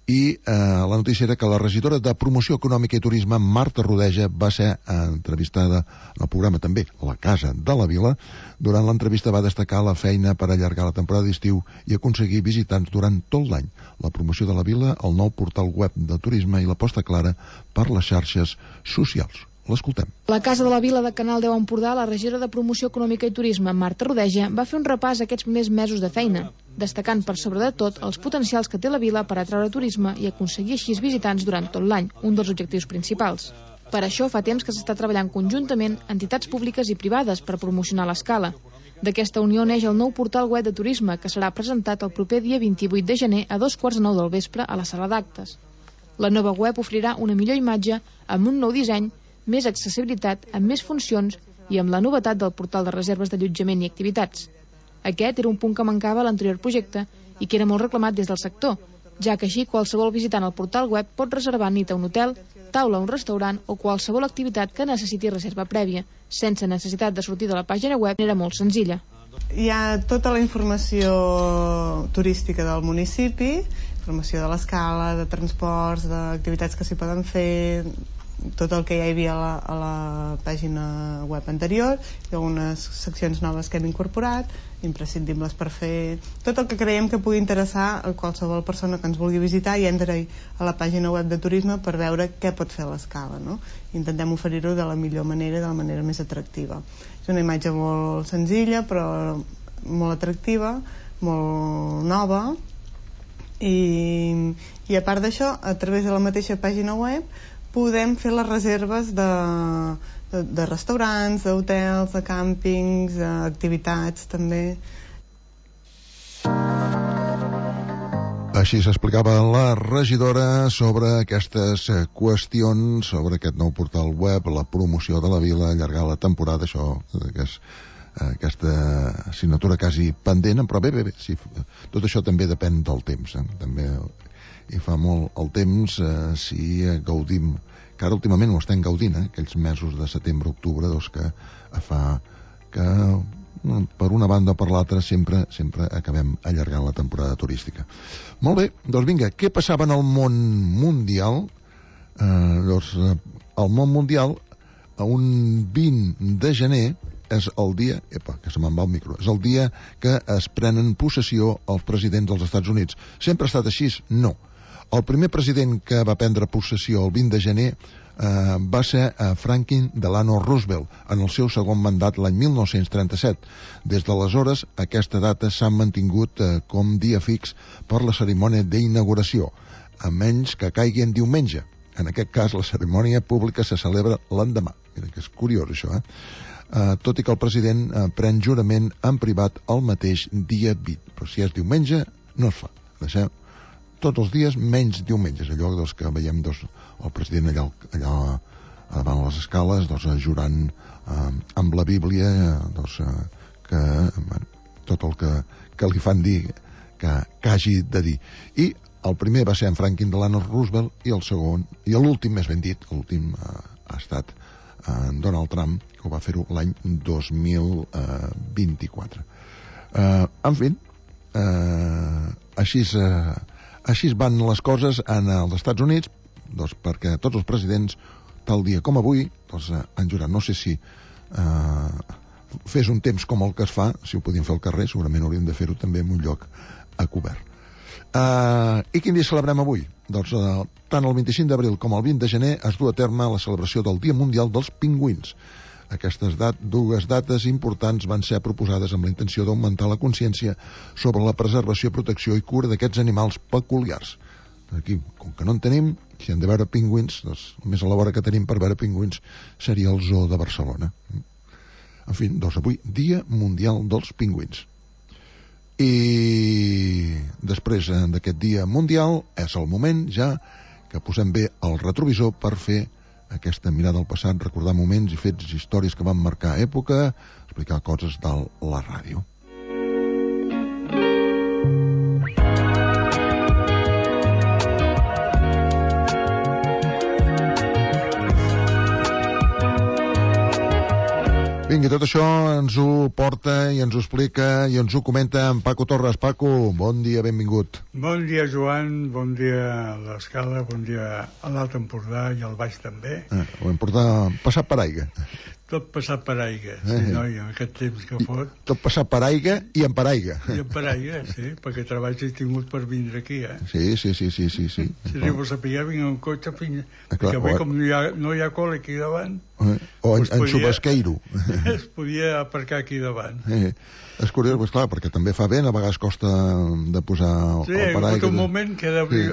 i la notícia era que la regidora de Promoció Econòmica i Turisme, Marta Rodeja, va ser entrevistada en el programa també La Casa de la Vila. Durant l'entrevista va destacar la feina per allargar la temporada d'estiu i aconseguir visitants durant tot l'any, la promoció de la vila, el nou portal web de turisme i l'aposta clara per les xarxes socials. L'escoltem. La Casa de la Vila de Canal 10 Empordà, la regidora de Promoció Econòmica i Turisme, Marta Rodeja, va fer un repàs a aquests primers mesos de feina, destacant per sobre de tot els potencials que té la vila per atraure turisme i aconseguir així visitants durant tot l'any, un dels objectius principals. Per això fa temps que s'està treballant conjuntament entitats públiques i privades per promocionar l'Escala. D'aquesta unió neix el nou portal web de turisme que serà presentat el proper dia 28 de gener a 2:15 del vespre a la sala d'actes. La nova web ofrirà una millor imatge amb un nou disseny, més accessibilitat, amb més funcions i amb la novetat del portal de reserves d'allotjament i activitats. Aquest era un punt que mancava a l'anterior projecte i que era molt reclamat des del sector, ja que així qualsevol visitant al portal web pot reservar nit a un hotel, taula a un restaurant o qualsevol activitat que necessiti reserva prèvia, sense necessitat de sortir de la pàgina web, era molt senzilla. Hi ha tota la informació turística del municipi, informació de l'Escala, de transports, d'activitats que s'hi poden fer, tot el que ja hi havia a la pàgina web anterior i algunes seccions noves que hem incorporat, imprescindibles per fer tot el que creiem que pugui interessar a qualsevol persona que ens vulgui visitar i entri a la pàgina web de turisme per veure què pot fer l'Escala, no? Intentem oferir-ho de la millor manera, de la manera més atractiva. És una imatge molt senzilla però molt atractiva, molt nova i a part d'això, a través de la mateixa pàgina web podem fer les reserves de restaurants, d'hotels, de càmpings, d'activitats també. Així s'explicava la regidora sobre aquestes qüestions, sobre aquest nou portal web, la promoció de la vila, allargar la temporada, això, aquesta assignatura quasi pendent, però bé, sí, tot això també depèn del temps, també hi fa molt el temps si gaudim, que ara últimament ho estem gaudint, aquells mesos de setembre-octubre, doncs que fa que per una banda o per l'altra sempre acabem allargant la temporada turística. Molt bé, doncs vinga, què passava en el món mundial? Doncs el món mundial, a un 20 de gener, és el dia, que se me'n va el micro, és el dia que es prenen possessió els presidents dels Estats Units. Sempre ha estat així? No. El primer president que va prendre possessió el 20 de gener va ser Franklin Delano Roosevelt en el seu segon mandat l'any 1937. Des d'aleshores, aquesta data s'ha mantingut com dia fix per la cerimònia d'inauguració, a menys que caigui en diumenge. En aquest cas, la cerimònia pública se celebra l'endemà. Mira que és curiós, això, tot i que el president pren jurament en privat el mateix dia 20. Però si és diumenge, no es fa. Deixem tots els dies menys diumenges, allò que veiem el president allà davant les escales jurant amb la Bíblia que tot el que li fan dir que hagi de dir. I el primer va ser en Franklin Delano Roosevelt i el segon, i l'últim més ben dit, l'últim ha estat en Donald Trump, que ho va fer-ho l'any 2024. En fi, així van les coses als Estats Units, perquè tots els presidents, tal dia com avui, han jurat. No sé si fes un temps com el que es fa, si ho podien fer al carrer, segurament hauríem de fer-ho també en un lloc a cobert. I quin dia celebrem avui? Tant el 25 d'abril com el 20 de gener es du a terme la celebració del Dia Mundial dels Pingüins. Aquestes dues dates importants van ser proposades amb la intenció d'augmentar la consciència sobre la preservació, protecció i cura d'aquests animals peculiars. Aquí, com que no en tenim, si hem de veure pingüins, més a la vora que tenim per veure pingüins seria el Zoo de Barcelona. En fi, avui, Dia Mundial dels Pingüins. I després d'aquest Dia Mundial és el moment ja que posem bé el retrovisor per fer aquesta mirada al passat, recordar moments i fets i històries que van marcar època, explicar coses de la ràdio. Vinga, tot això ens ho porta i ens ho explica i ens ho comenta en Paco Torres. Paco, bon dia, benvingut. Bon dia, Joan, bon dia a l'Escala, bon dia a l'Alt Empordà i al Baix també. Ho hem passat per aigua. Tot passat per aigua, sí, noi, en aquest temps que fot. Tot passat per aigua i en per aigua. I en per aigua, sí, perquè treballs he tingut per vindre aquí, Sí. Si arribo a saber, vinc en cotxe fins... Perquè bé, com no hi ha cola aquí davant... O en Xubasqueiro. Es podia aparcar aquí davant. És curiós, doncs clar, perquè també fa vent, a vegades costa de posar el paraigua. Sí, hi ha hagut un moment que d'obrir...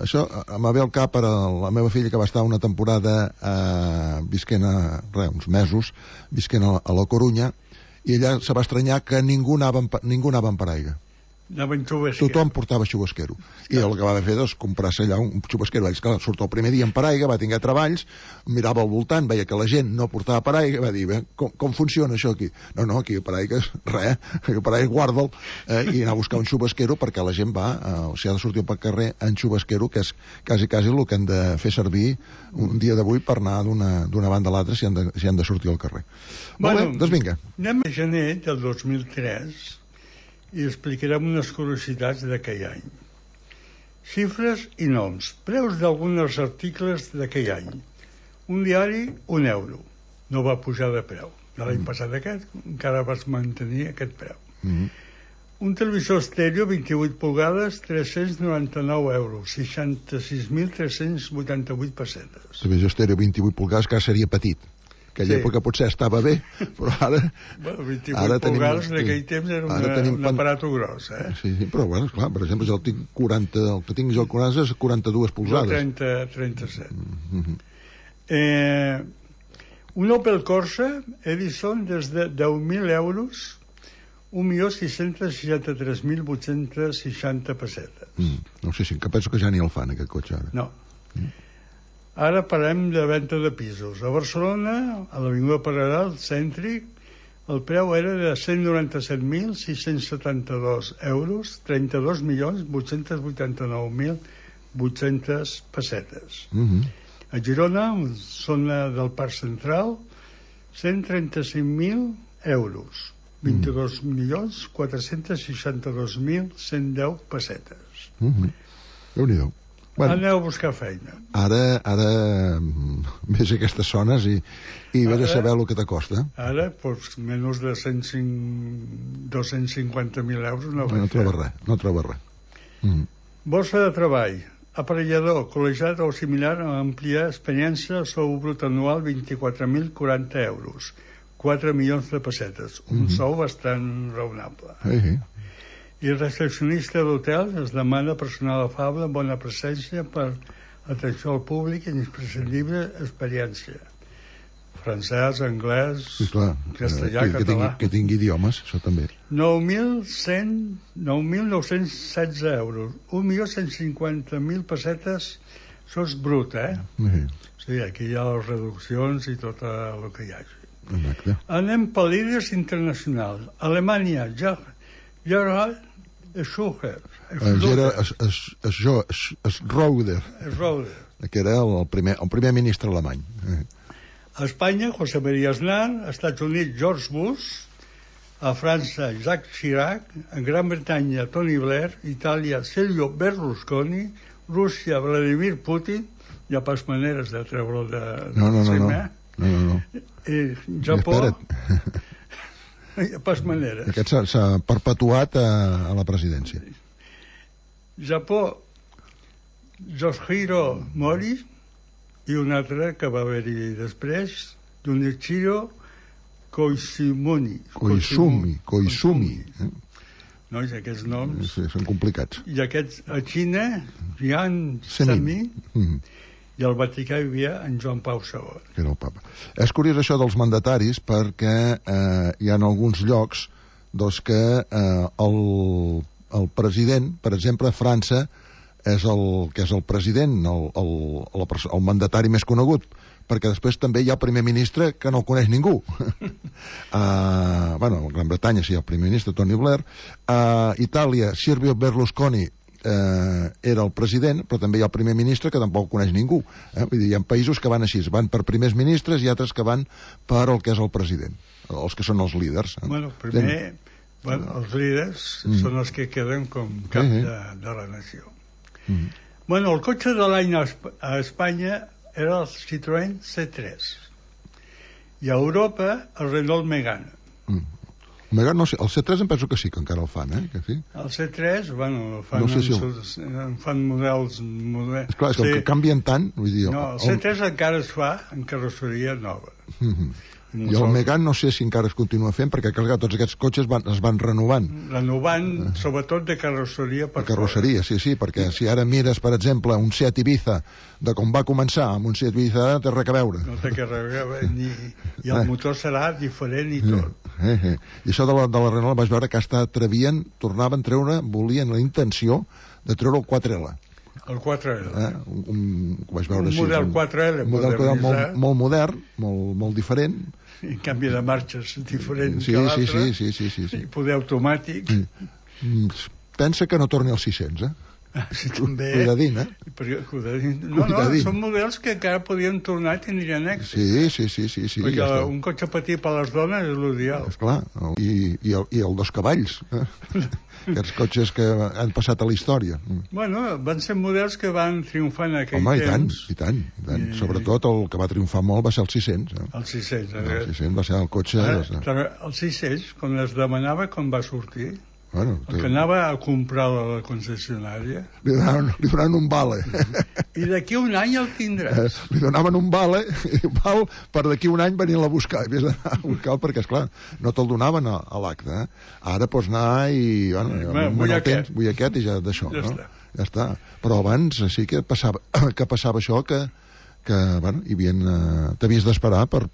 Això em ve al cap per la meva filla, que va estar una temporada visquent uns mesos, visquent a la Corunya, i ella se va estranyar que ningú anava en paraigua. Tothom portava xubasquero. I el que va fer és comprar-se allà un xubasquero. Ells, clar, surt el primer dia en paraigua, va tenir treballs, mirava al voltant, veia que la gent no portava paraigua, va dir, com funciona això aquí? No, aquí paraigua res, paraigua guarda'l, i anar a buscar un xubasquero perquè la gent va, si ha de sortir pel carrer en xubasquero, que és quasi el que hem de fer servir un dia d'avui per anar d'una banda a l'altra si han de sortir al carrer. Molt bé, doncs vinga. Anem a gener del 2003 i explicarem unes curiositats d'aquell any. Xifres i noms. Preus d'alguns articles d'aquell any. Un diari, €1. No va pujar de preu. De l'any passat aquest encara vas mantenir aquest preu. Un televisor estèreo 28 pulgades, €399, 66.388 pessetes. Televisor estèreo 28 pulgades que seria petit. Aquella època potser estava bé, però ara... 28 pulgades en aquell temps era un aparato gros, Sí, però bueno, clar, per exemple, el que tinc jo 40 és 42 pulgades. Jo 37. Un Opel Corsa Edison des de €10.000, 1.663.860 pessetes. No sé si penso que ja ni el fan, aquest cotxe, ara. No. Ara parlem de venda de pisos. A Barcelona, a l'Avinguda Paral·lel, cèntric, el preu era de €197.672, 32.889.800 pessetes. A Girona, zona del Parc Central, €135.000, 22.462.110 pessetes. Déu-n'hi-do. Aneu a buscar feina. Ara ves aquestes zones i ves a saber el que t'acosta. Ara, doncs, menys de 250.000 euros no troba res. Borsa de treball. aparellador, col·legiat o similar a àmplia experiència, sou brut anual 24.040 euros, 4 milions de pessetes, un sou bastant raonable. I recepcionista d'hotel es demana personal afable, bona presència per atenció al públic i imprescindible experiència. Francès, anglès, castellà, català. Que tingui idiomes, això també. 9.916 euros, 1.150.000 pessetes, això és brut, Sí, aquí hi ha les reduccions i tot el que hi hagi. Exacte. Anem per líders internacionals. Alemanya, Gerhard Schröder. Schröder, que era el primer ministre alemany. A Espanya, José María Aznar. A Estats Units, George Bush. A França, Jacques Chirac. A Gran Bretanya, Tony Blair. Itàlia, Silvio Berlusconi. Rússia, Vladimir Putin. Hi ha pas maneres de treure'l de cima. No. Japó. Hi ha pas maneres. Aquest s'ha perpetuat a la presidència. Japó, Yoshihiro Mori. I un altre que va haver-hi després, Junichiro Koizumi. No, i aquests noms... Sí, són complicats. I aquests, a Xina, Jian Zemin, i al Vaticà hi havia en Joan Pau II. Que era el papa. És curiós això dels mandataris perquè hi ha alguns llocs que el president, per exemple, a França, és el president, el mandatari més conegut, perquè després també hi ha el primer ministre que no el coneix ningú. A Gran Bretanya sí, el primer ministre, Tony Blair. A Itàlia, Silvio Berlusconi era el president, però també hi ha el primer ministre que tampoc coneix ningú. Vull dir, hi ha països que van així, van per primers ministres i altres que van per el que és el president, els que són els líders. Primer, els líders són els que queden com cap de la nació. El cotxe de l'any a Espanya era el Citroën C3 i a Europa el Renault Megane. Megane no sé, el C3 em penso que sí, que encara el fan, que sí. El C3, fan models... Esclar, és que canvien tant, vull dir... No, el C3 encara es fa en carrosseria nova. I el Megane no sé si encara es continua fent, perquè clar, tots aquests cotxes es van renovant. Sobretot de carrosseria per carrosseria, sí, perquè si ara mires, per exemple, un Seat Ibiza, de com va començar, amb un Seat Ibiza té res a veure. No té res a veure, i el motor serà diferent i tot. I això de la Renault vaig veure que hasta volien la intenció de treure el 4L. El 4L. Un model 4L. Un model molt modern, molt diferent. En canvi de marxes diferent que l'altre. Sí. Poder automàtic. Pensa que no torni als 600, Sí, també. Cuidadín, són models que encara podien tornar i tindrien èxit. Sí. Perquè un cotxe petit per a les dones és l'ideal. Esclar, i el 2 cavalls. Aquests cotxes que han passat a la història. Van ser models que van triomfar en aquell temps. I tant. Sobretot el que va triomfar molt va ser el 600. El 600. El 600 va ser el cotxe... El 600, quan es demanava com va sortir, que anava a comprar a la concessionària, li donaven un vale. I d'aquí un any el tindràs. Li donaven un vale per d'aquí un any venir-la a buscar. I vés a buscar perquè, esclar, no te'l donaven a l'acte. Ara pots anar i vull aquest i ja d'això. Ja està. Però abans sí que passava això que t'havies d'esperar per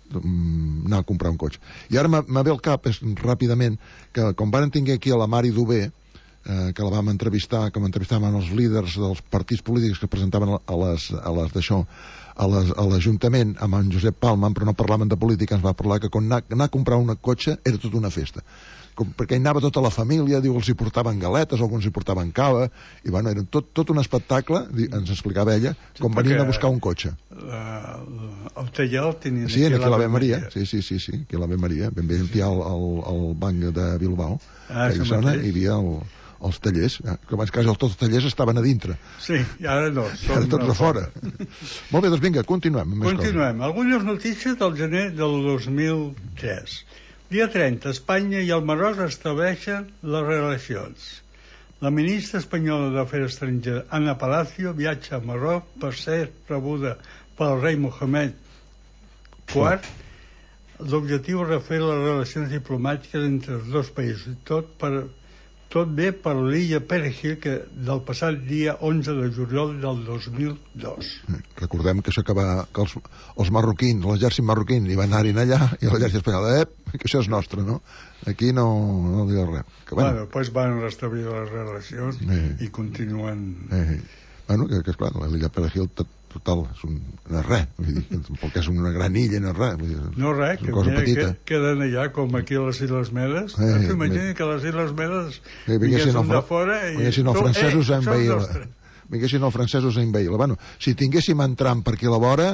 anar a comprar un cotxe. I ara me ve al cap ràpidament que quan van tenir aquí a la Mari Dubé, que la vam entrevistar, que m'entrevistaven els líders dels partits polítics que presentaven a l'Ajuntament amb en Josep Palma, però no parlaven de política, ens va parlar que quan anar a comprar un cotxe era tota una festa, perquè hi anava tota la família, diu, els hi portaven galetes, alguns hi portaven cava, i era tot un espectacle, ens explicava ella, com venien a buscar un cotxe. El taller el tenien aquí a l'Ave Maria. Sí, aquí a l'Ave Maria, ben bé aquí al banc de Bilbao, hi havia els tallers, que abans quasi tots els tallers estaven a dintre. Sí, i ara no. Ara tots a fora. Molt bé, doncs vinga, continuem. Algunes notícies del gener del 2003. Dia 30, Espanya i el Marroc estableixen les relacions. La ministra espanyola d'Afers Estrangers, Ana Palacio, viatja a Marroc per ser rebuda pel rei Mohamed IV. L'objectiu és refer les relacions diplomàtiques entre els dos països. Tot bé per l'illa Perejil, que del passat dia 11 de juliol del 2002. Recordem que els marroquins, l'exèrcit marroquí hi van anar-hi allà, i l'exèrcit espanyol, que això és nostre, no? Aquí no diu res. Després van restablir les relacions i continuen... Que esclar, l'illa Perejil total, no és res, perquè és una gran illa, no és res. No res, que queden allà com aquí a les Illes Medes. Imagina que les Illes Medes vinguessin de fora i... Vinguessin els francesos a envair-la. Vinguessin els francesos a envair-la. Si tinguéssim entrant per aquí a la vora,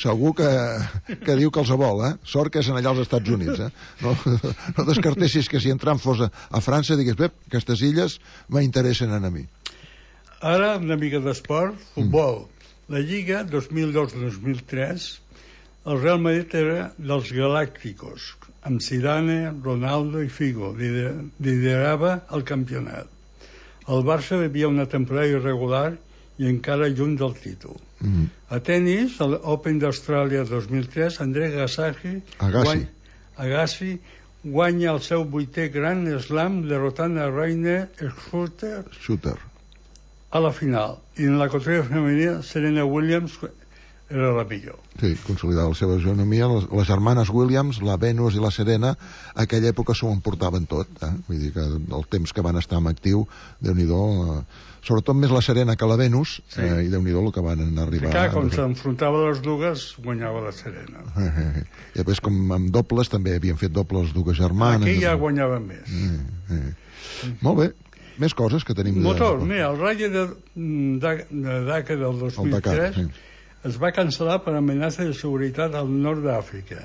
segur que diu que els vol, Sort que és allà als Estats Units, No descartessis que si entrant fos a França digués, aquestes illes m'interessen a mi. Ara una mica d'esport, futbol. La Lliga 2002-2003, el Real Madrid era dels Galácticos, amb Zidane, Ronaldo i Figo. Liderava el campionat. El Barça vivia una temporada irregular i encara lluny del títol. A tenis, a l'Open d'Austràlia 2003, André Agassi guanya el seu 8è Grand Slam derrotant a Rainer Shooter a la final. I en la categoria femenina, Serena Williams era la millor. Sí, consolidar la seva hegemonia. Les germanes Williams, la Venus i la Serena, a aquella època s'ho emportaven tot. Vull dir que el temps que van estar en actiu, Déu-n'hi-do, sobretot més la Serena que la Venus, i Déu-n'hi-do el que van arribar. Sí, quan s'enfrontava les dues, guanyava la Serena. I després, com amb dobles, també havien fet dobles dues germanes. Aquí ja guanyaven més. Molt bé. Més coses que tenim... Motor, mira, el Rally de Dakar del 2003 es va cancel·lar per amenaça de seguretat al nord d'Àfrica,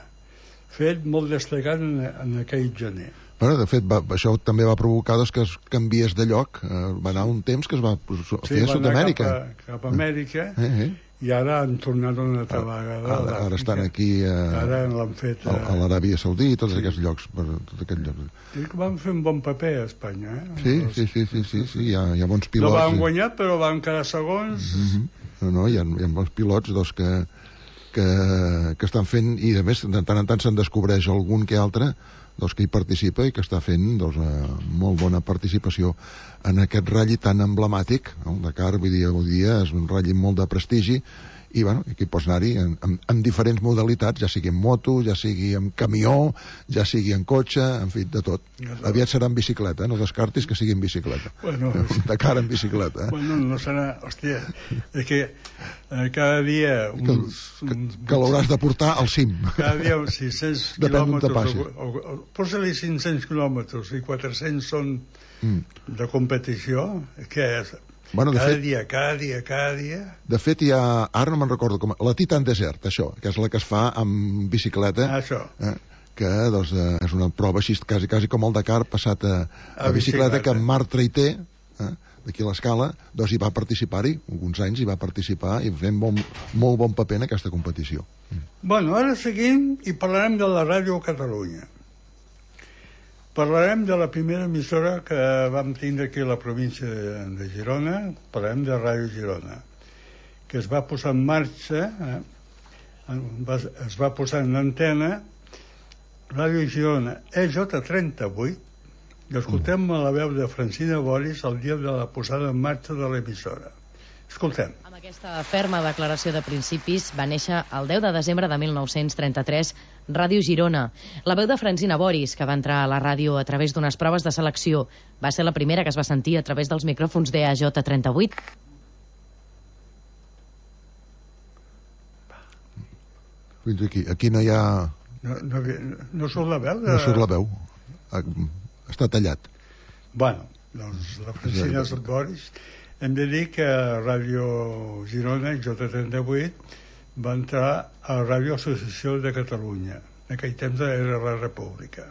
fet molt destacat en aquell gener. De fet, això també va provocar que es canviés de lloc. Va anar un temps que es va fer a Sud-amèrica. Cap a Amèrica, i ara han tornat una altra vegada. Ara estan aquí ara l'han fet a l'Aràbia Saudí i tots aquests llocs. Van fer un bon paper a Espanya. Sí, hi ha bons pilots. No van guanyar, però van quedar segons. Hi ha bons pilots que estan fent, i a més de tant en tant se'n descobreix algun que altre que hi participa i que està fent molt bona participació en aquest ratll tan emblemàtic. El Dakar, vull dir, avui dia és un ratll molt de prestigi, i aquí pots anar-hi en diferents modalitats, ja sigui en moto, ja sigui en camió, ja sigui en cotxe, en fi, de tot. Aviat serà en bicicleta, no descartis que sigui en bicicleta. Un Dakar en bicicleta. No serà... Hòstia, és que cada dia... Que l'hauràs de portar al cim. Cada dia 600 quilòmetres. Posa-li 500 quilòmetres i 400 són de competició. Què és? Cada dia. De fet, hi ha... Ara no me'n recordo com... La Titan Desert, això, que és la que es fa amb bicicleta. Això. Que és una prova així, quasi com el Dakar, passat a bicicleta, que en Marc Traité, d'aquí a l'Escala, hi va participar-hi, alguns anys hi va participar, i fent molt bon paper en aquesta competició. Ara seguim i parlarem de la Ràdio Catalunya. Parlarem de la primera emissora que vam tindre aquí a la província de Girona. Parlarem de Ràdio Girona, que es va posar en marxa, es va posar en antena, Ràdio Girona EJ38, i escoltem la veu de Francina Boris el dia de la posada en marxa de l'emissora. Escoltem. Amb aquesta ferma declaració de principis va néixer el 10 de desembre de 1933 Ràdio Girona. La veu de Francina Boris, que va entrar a la ràdio a través d'unes proves de selecció, va ser la primera que es va sentir a través dels micròfons d'EJ38. Fins aquí no hi ha... No surt la veu? No surt la veu. Està tallat. Doncs la Francina Boris... Hem de dir que Ràdio Girona, J38, va entrar a Ràdio Associació de Catalunya. En aquell temps era la República.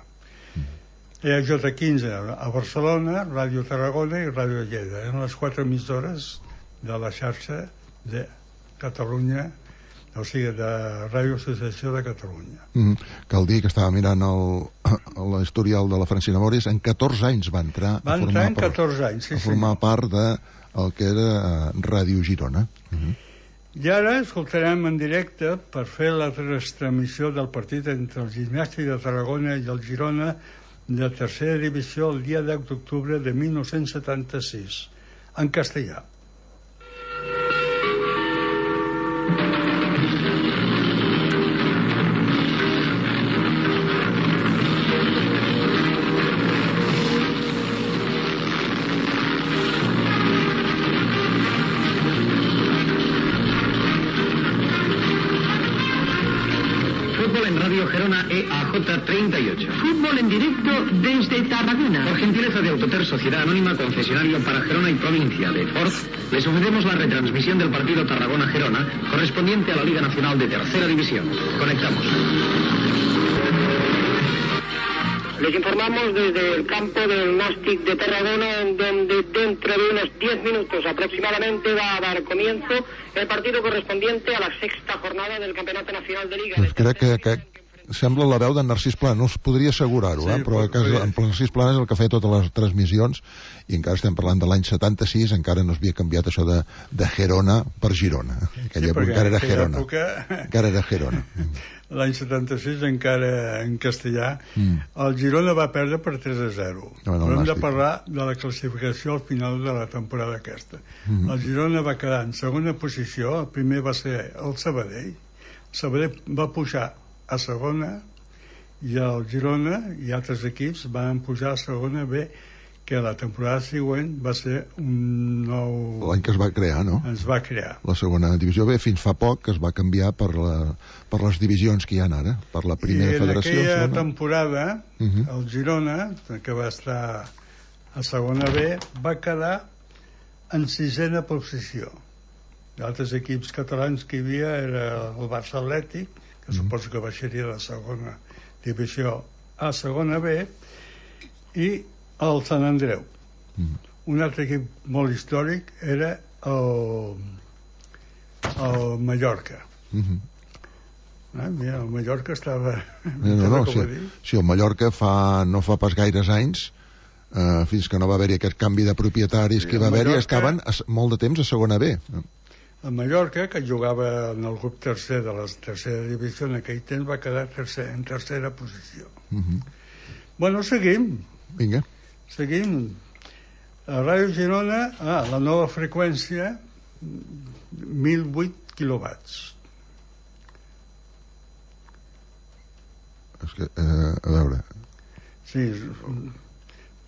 J15 a Barcelona, Ràdio Tarragona i Ràdio Lleida. Eren les 4 emissores de la xarxa de Catalunya o sigui, de Ràdio Associació de Catalunya. Cal dir que estava mirant l'historial de la Francina Boris, en 14 anys va entrar a formar part del que era Ràdio Girona. I ara escoltarem en directe, per fer la retransmissió del partit entre el Gimnàstic de Tarragona i el Girona de tercera divisió el dia 10 d'octubre de 1976, en castellà. Gerona EAJ 38. Fútbol en directo desde Tarragona. Por gentileza de Autoter Sociedad Anónima, concesionario para Gerona y provincia de Ford, les ofrecemos la retransmisión del partido Tarragona-Gerona correspondiente a la Liga Nacional de Tercera División. Conectamos. Les informamos desde el campo del Nàstic de Tarragona, en donde dentro de unos 10 minutos aproximadamente va a dar comienzo el partido correspondiente a la sexta jornada del Campeonato Nacional de Liga. Pues crec que sembla la veu d'en Narcís Plana, no us podria assegurar-ho, però en Narcís Plana és el que feia totes les transmissions, i encara estem parlant de l'any 76, encara no s'havia canviat això de Gerona per Girona. Aquella època encara era Gerona. Encara era Gerona. L'any 76, encara en castellà, el Girona va perdre per 3-0. Però hem de parlar de la classificació al final de la temporada aquesta. El Girona va quedar en segona posició, el primer va ser el Sabadell. El Sabadell va pujar a segona i el Girona i altres equips van pujar a segona B, que la temporada següent va ser un nou... L'any que es va crear, no? Es va crear. La segona divisió B, fins fa poc, que es va canviar per les divisions que hi ha ara, per la primera federació. I en aquella temporada, el Girona, que va estar a segona B, va quedar en sisena posició. D'altres equips catalans que hi havia era el Barça Atlètic, que suposo que baixaria de segona divisió a segona B, i el Sant Andreu. Un altre equip molt històric era el Mallorca. Mira, el Mallorca estava... Sí, el Mallorca no fa pas gaires anys, fins que no va haver-hi aquest canvi de propietaris que va haver-hi, estaven molt de temps a segona B. El Mallorca, que jugava en el grup tercer de la tercera divisió, en aquell temps va quedar en tercera posició. Bueno, seguim. Vinga. Seguim. A Ràdio Girona, la nova freqüència, 1.008 quilowatts. És que, a veure... Sí.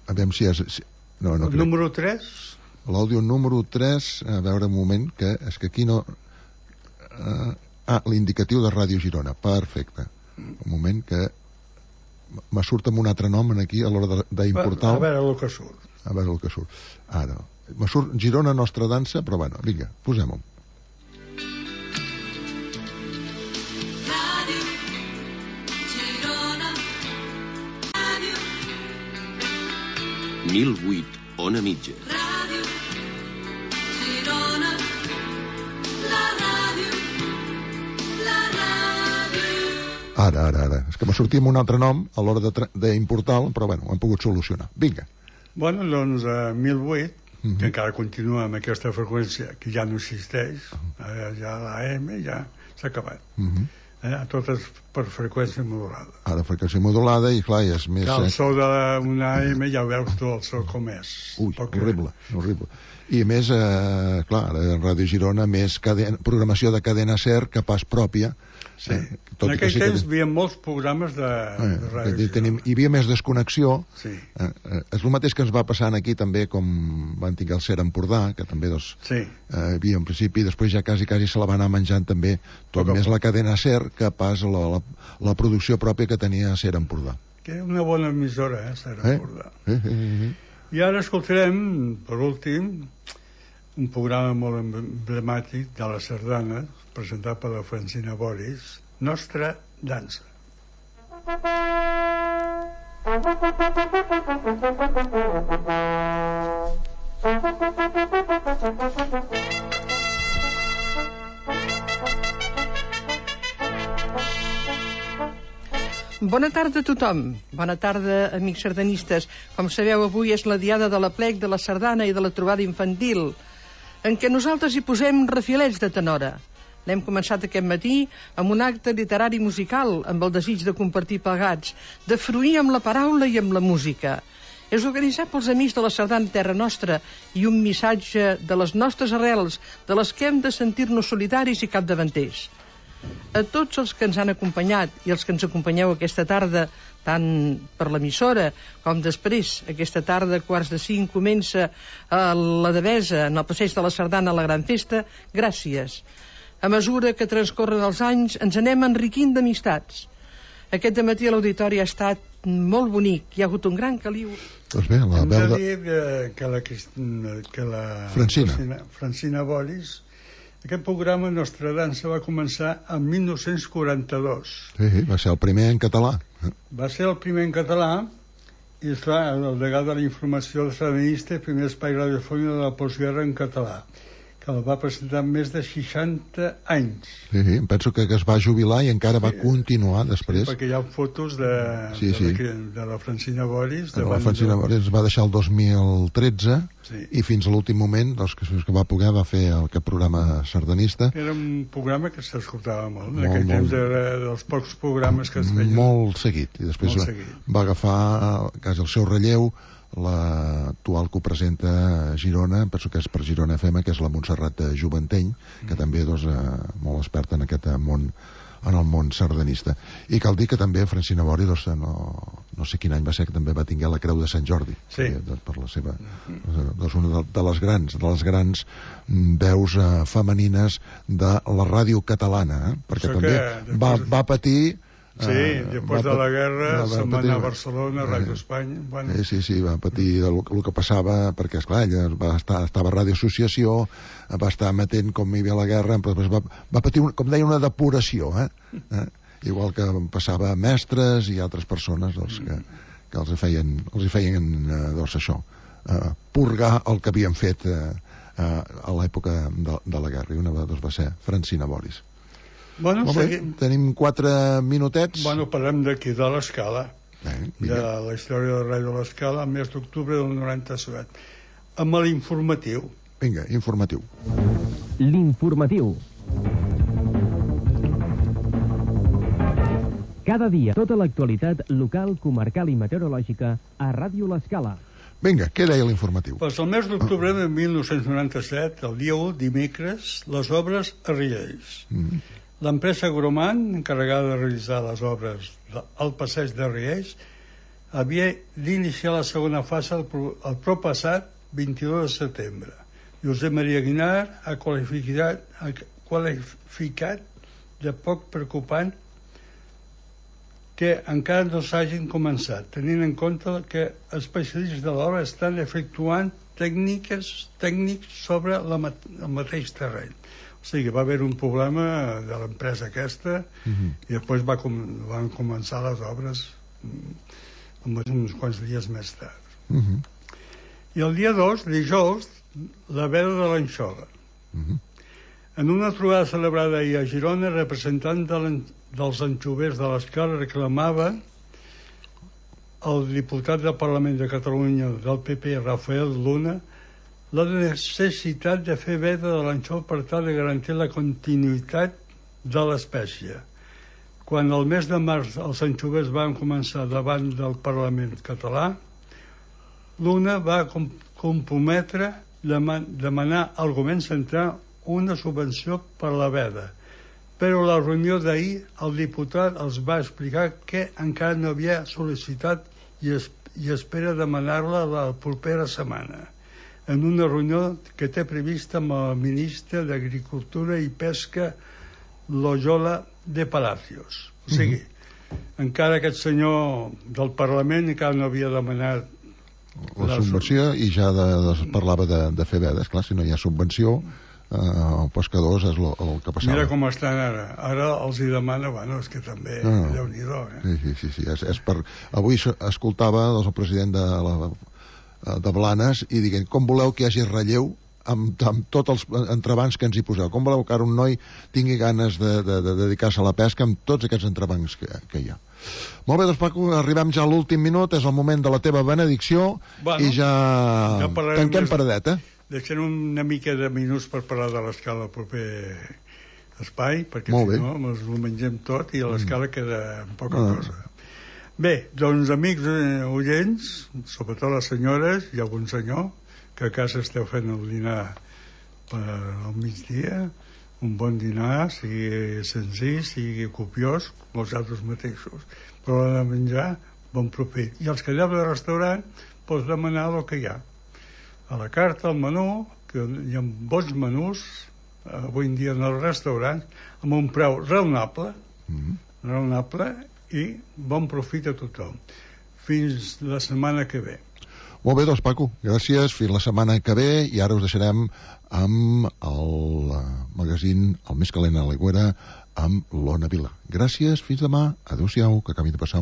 A veure si és... No crec. Número 3... L'àudio número 3, a veure un moment, que és que aquí no... l'indicatiu de Ràdio Girona, perfecte. Un moment que me surt amb un altre nom aquí a l'hora d'importar... A veure el que surt. A veure el que surt. Ara, me surt Girona Nostra Dansa, però bueno, vinga, posem-ho. Ràdio Girona, Ràdio 1008, Ona Mitja. Ràdio Girona, la ràdio, la ràdio. Ara. És que me sortia amb un altre nom a l'hora d'importar-lo, però bueno, ho hem pogut solucionar. Vinga. Bueno, doncs 1008, que encara continua amb aquesta freqüència que ja no existeix, ja l'AM ja s'ha acabat. Totes per freqüència modulada. Ara freqüència modulada i clar, és més... El so d'una AM ja veus tu el so com és. Ui, horrible. I a més, clar, a Ràdio Girona, més programació de cadena SER que pas pròpia. Sí. En aquell temps hi havia molts programes de Ràdio Girona. Hi havia més desconnexió. És el mateix que ens va passar aquí també, com van tinguer el SER Empordà, que també hi havia en principi, després ja quasi se la va anar menjant també tot més la cadena SER que pas la producció pròpia que tenia SER Empordà. Que era una bona emissora, SER Empordà. I ara escoltarem, per últim, un programa molt emblemàtic de la sardana, presentat per la Francina Boris, Nostra Dansa. Bona tarda a tothom. Bona tarda, amics sardanistes. Com sabeu, avui és la diada de l'aplec, de la sardana i de la trobada infantil, en què nosaltres hi posem refilets de tenora. L'hem començat aquest matí amb un acte literari musical, amb el desig de compartir plegats, de fruir amb la paraula i amb la música. És organitzat pels amics de la sardana Terra Nostra i un missatge de les nostres arrels, de les que hem de sentir-nos solidaris i capdavanters. A tots els que ens han acompanyat i els que ens acompanyeu aquesta tarda, tant per l'emissora com després, aquesta tarda a 4:45 comença a la Devesa, en el passeig de la Sardana, la gran festa, gràcies. A mesura que transcorren els anys ens anem enriquint d'amistats. Aquest dematí a l'auditori ha estat molt bonic, hi ha hagut un gran caliu. Doncs bé, la veu de... que la Francina Boris, aquest programa Nostra Dansa va començar en 1942. Sí, va ser el primer en català. Va ser el primer en català i, esclar, el degà de la informació sardanista, el primer espai radiofònic de la postguerra en català, que el va presentar més de 60 anys. Sí, em penso que es va jubilar i encara va continuar després. Sí, perquè hi ha fotos de la Francina Boris. La Francina Boris va deixar el 2013 i fins a l'últim moment, que va poder, va fer aquest programa sardanista. Era un programa que s'escoltava molt. En aquell temps era dels pocs programes que es feien. Molt seguit. I després va agafar quasi el seu relleu l'actual que ho presenta a Girona, penso que és per Girona FM, que és la Montserrat Juventeny, que també és molt experta en aquest món, en el món sardanista. I cal dir que també Francina Bori, no sé quin any va ser, que també va tinguer la Creu de Sant Jordi, per la seva, una de les grans veus femenines de la ràdio catalana, perquè també va patir. Sí, després de la guerra se'n va anar a Barcelona, a Ràdio Espanya. Sí, va patir el que passava, perquè, esclar, ella estava a Ràdio Associació, va estar amatent com hi havia la guerra, però després va patir, com deia, una depuració, igual que passava a mestres i altres persones que els feien això, purgar el que havien fet a l'època de la guerra, i una va ser Francina Boris. Bueno, tenim 4 minutets. Parlem d'aquí, de l'Escala, de la història de Ràdio de l'Escala, el mes d'octubre del 97, amb l'informatiu. Vinga, informatiu. L'informatiu. Cada dia, tota l'actualitat local, comarcal i meteorològica a Ràdio l'Escala. Vinga, què deia l'informatiu? Pues el mes d'octubre de 1997, el dia 1, dimecres, les obres a Riells. L'empresa Groman, encarregada de realitzar les obres al passeig de Riells, havia d'iniciar la segona fase el proppassat 22 de setembre. Josep Maria Guinar ha qualificat de poc preocupant que encara no s'hagin començat, tenint en compte que especialistes de l'obra estan efectuant tècnics sobre el mateix terreny. O sigui, va haver un problema de l'empresa aquesta i després van començar les obres uns quants dies més tard. I el dia 2, dijous, la veda de l'anxova. En una trobada celebrada ahir a Girona, representant dels anxovers de l'Escala reclamava el diputat del Parlament de Catalunya del PP, Rafael Luna, la necessitat de fer veda de l'anxova per tal de garantir la continuïtat de l'espècie. Quan el mes de març els anxovers van començar davant del Parlament català, Luna va comprometre demanar al govern central una subvenció per la veda, però a la reunió d'ahir el diputat els va explicar que encara no havia sol·licitat i espera demanar-la la propera setmana, en una reunió que té prevista amb el ministre d'Agricultura i Pesca, Loyola de Palacios. O sigui, encara aquest senyor del Parlament encara no havia demanat la subvenció i ja parlava de fer vedes. Clar, si no hi ha subvenció, els pescadors és el que passava. Mira com estan ara. Ara els hi demana, bueno, és que també, Déu-n'hi-do. Sí. Avui escoltava el president de Blanes i dient, com voleu que hi hagi relleu amb tots els entrebancs que ens hi poseu? Com voleu que ara un noi tingui ganes de dedicar-se a la pesca amb tots aquests entrebancs que hi ha? Molt bé, doncs Paco, arribem ja a l'últim minut, és el moment de la teva benedicció, i ja tanquem paradeta. Deixem una mica de minuts per parlar de l'escala al proper espai, perquè si no ens ho mengem tot i a l'escala queda poca cosa. Bé, doncs amics oients, sobretot les senyores i algun senyor, que a casa esteu fent el dinar al migdia, un bon dinar, sigui senzill, sigui copiós, vosaltres mateixos. Però l'ha de menjar, bon profit. I els que aneu al restaurant, pots demanar el que hi ha. A la carta, al menú, que hi ha bons menús, avui en dia en els restaurants, amb un preu raonable, i bon profit a tothom. Fins la setmana que ve. Molt bé, doncs Paco, gràcies, fins la setmana que ve, i ara us deixarem amb el magazín El més calent a l'aigüera amb l'Ona Vila. Gràcies, fins demà, adeu-siau, que acabi de passar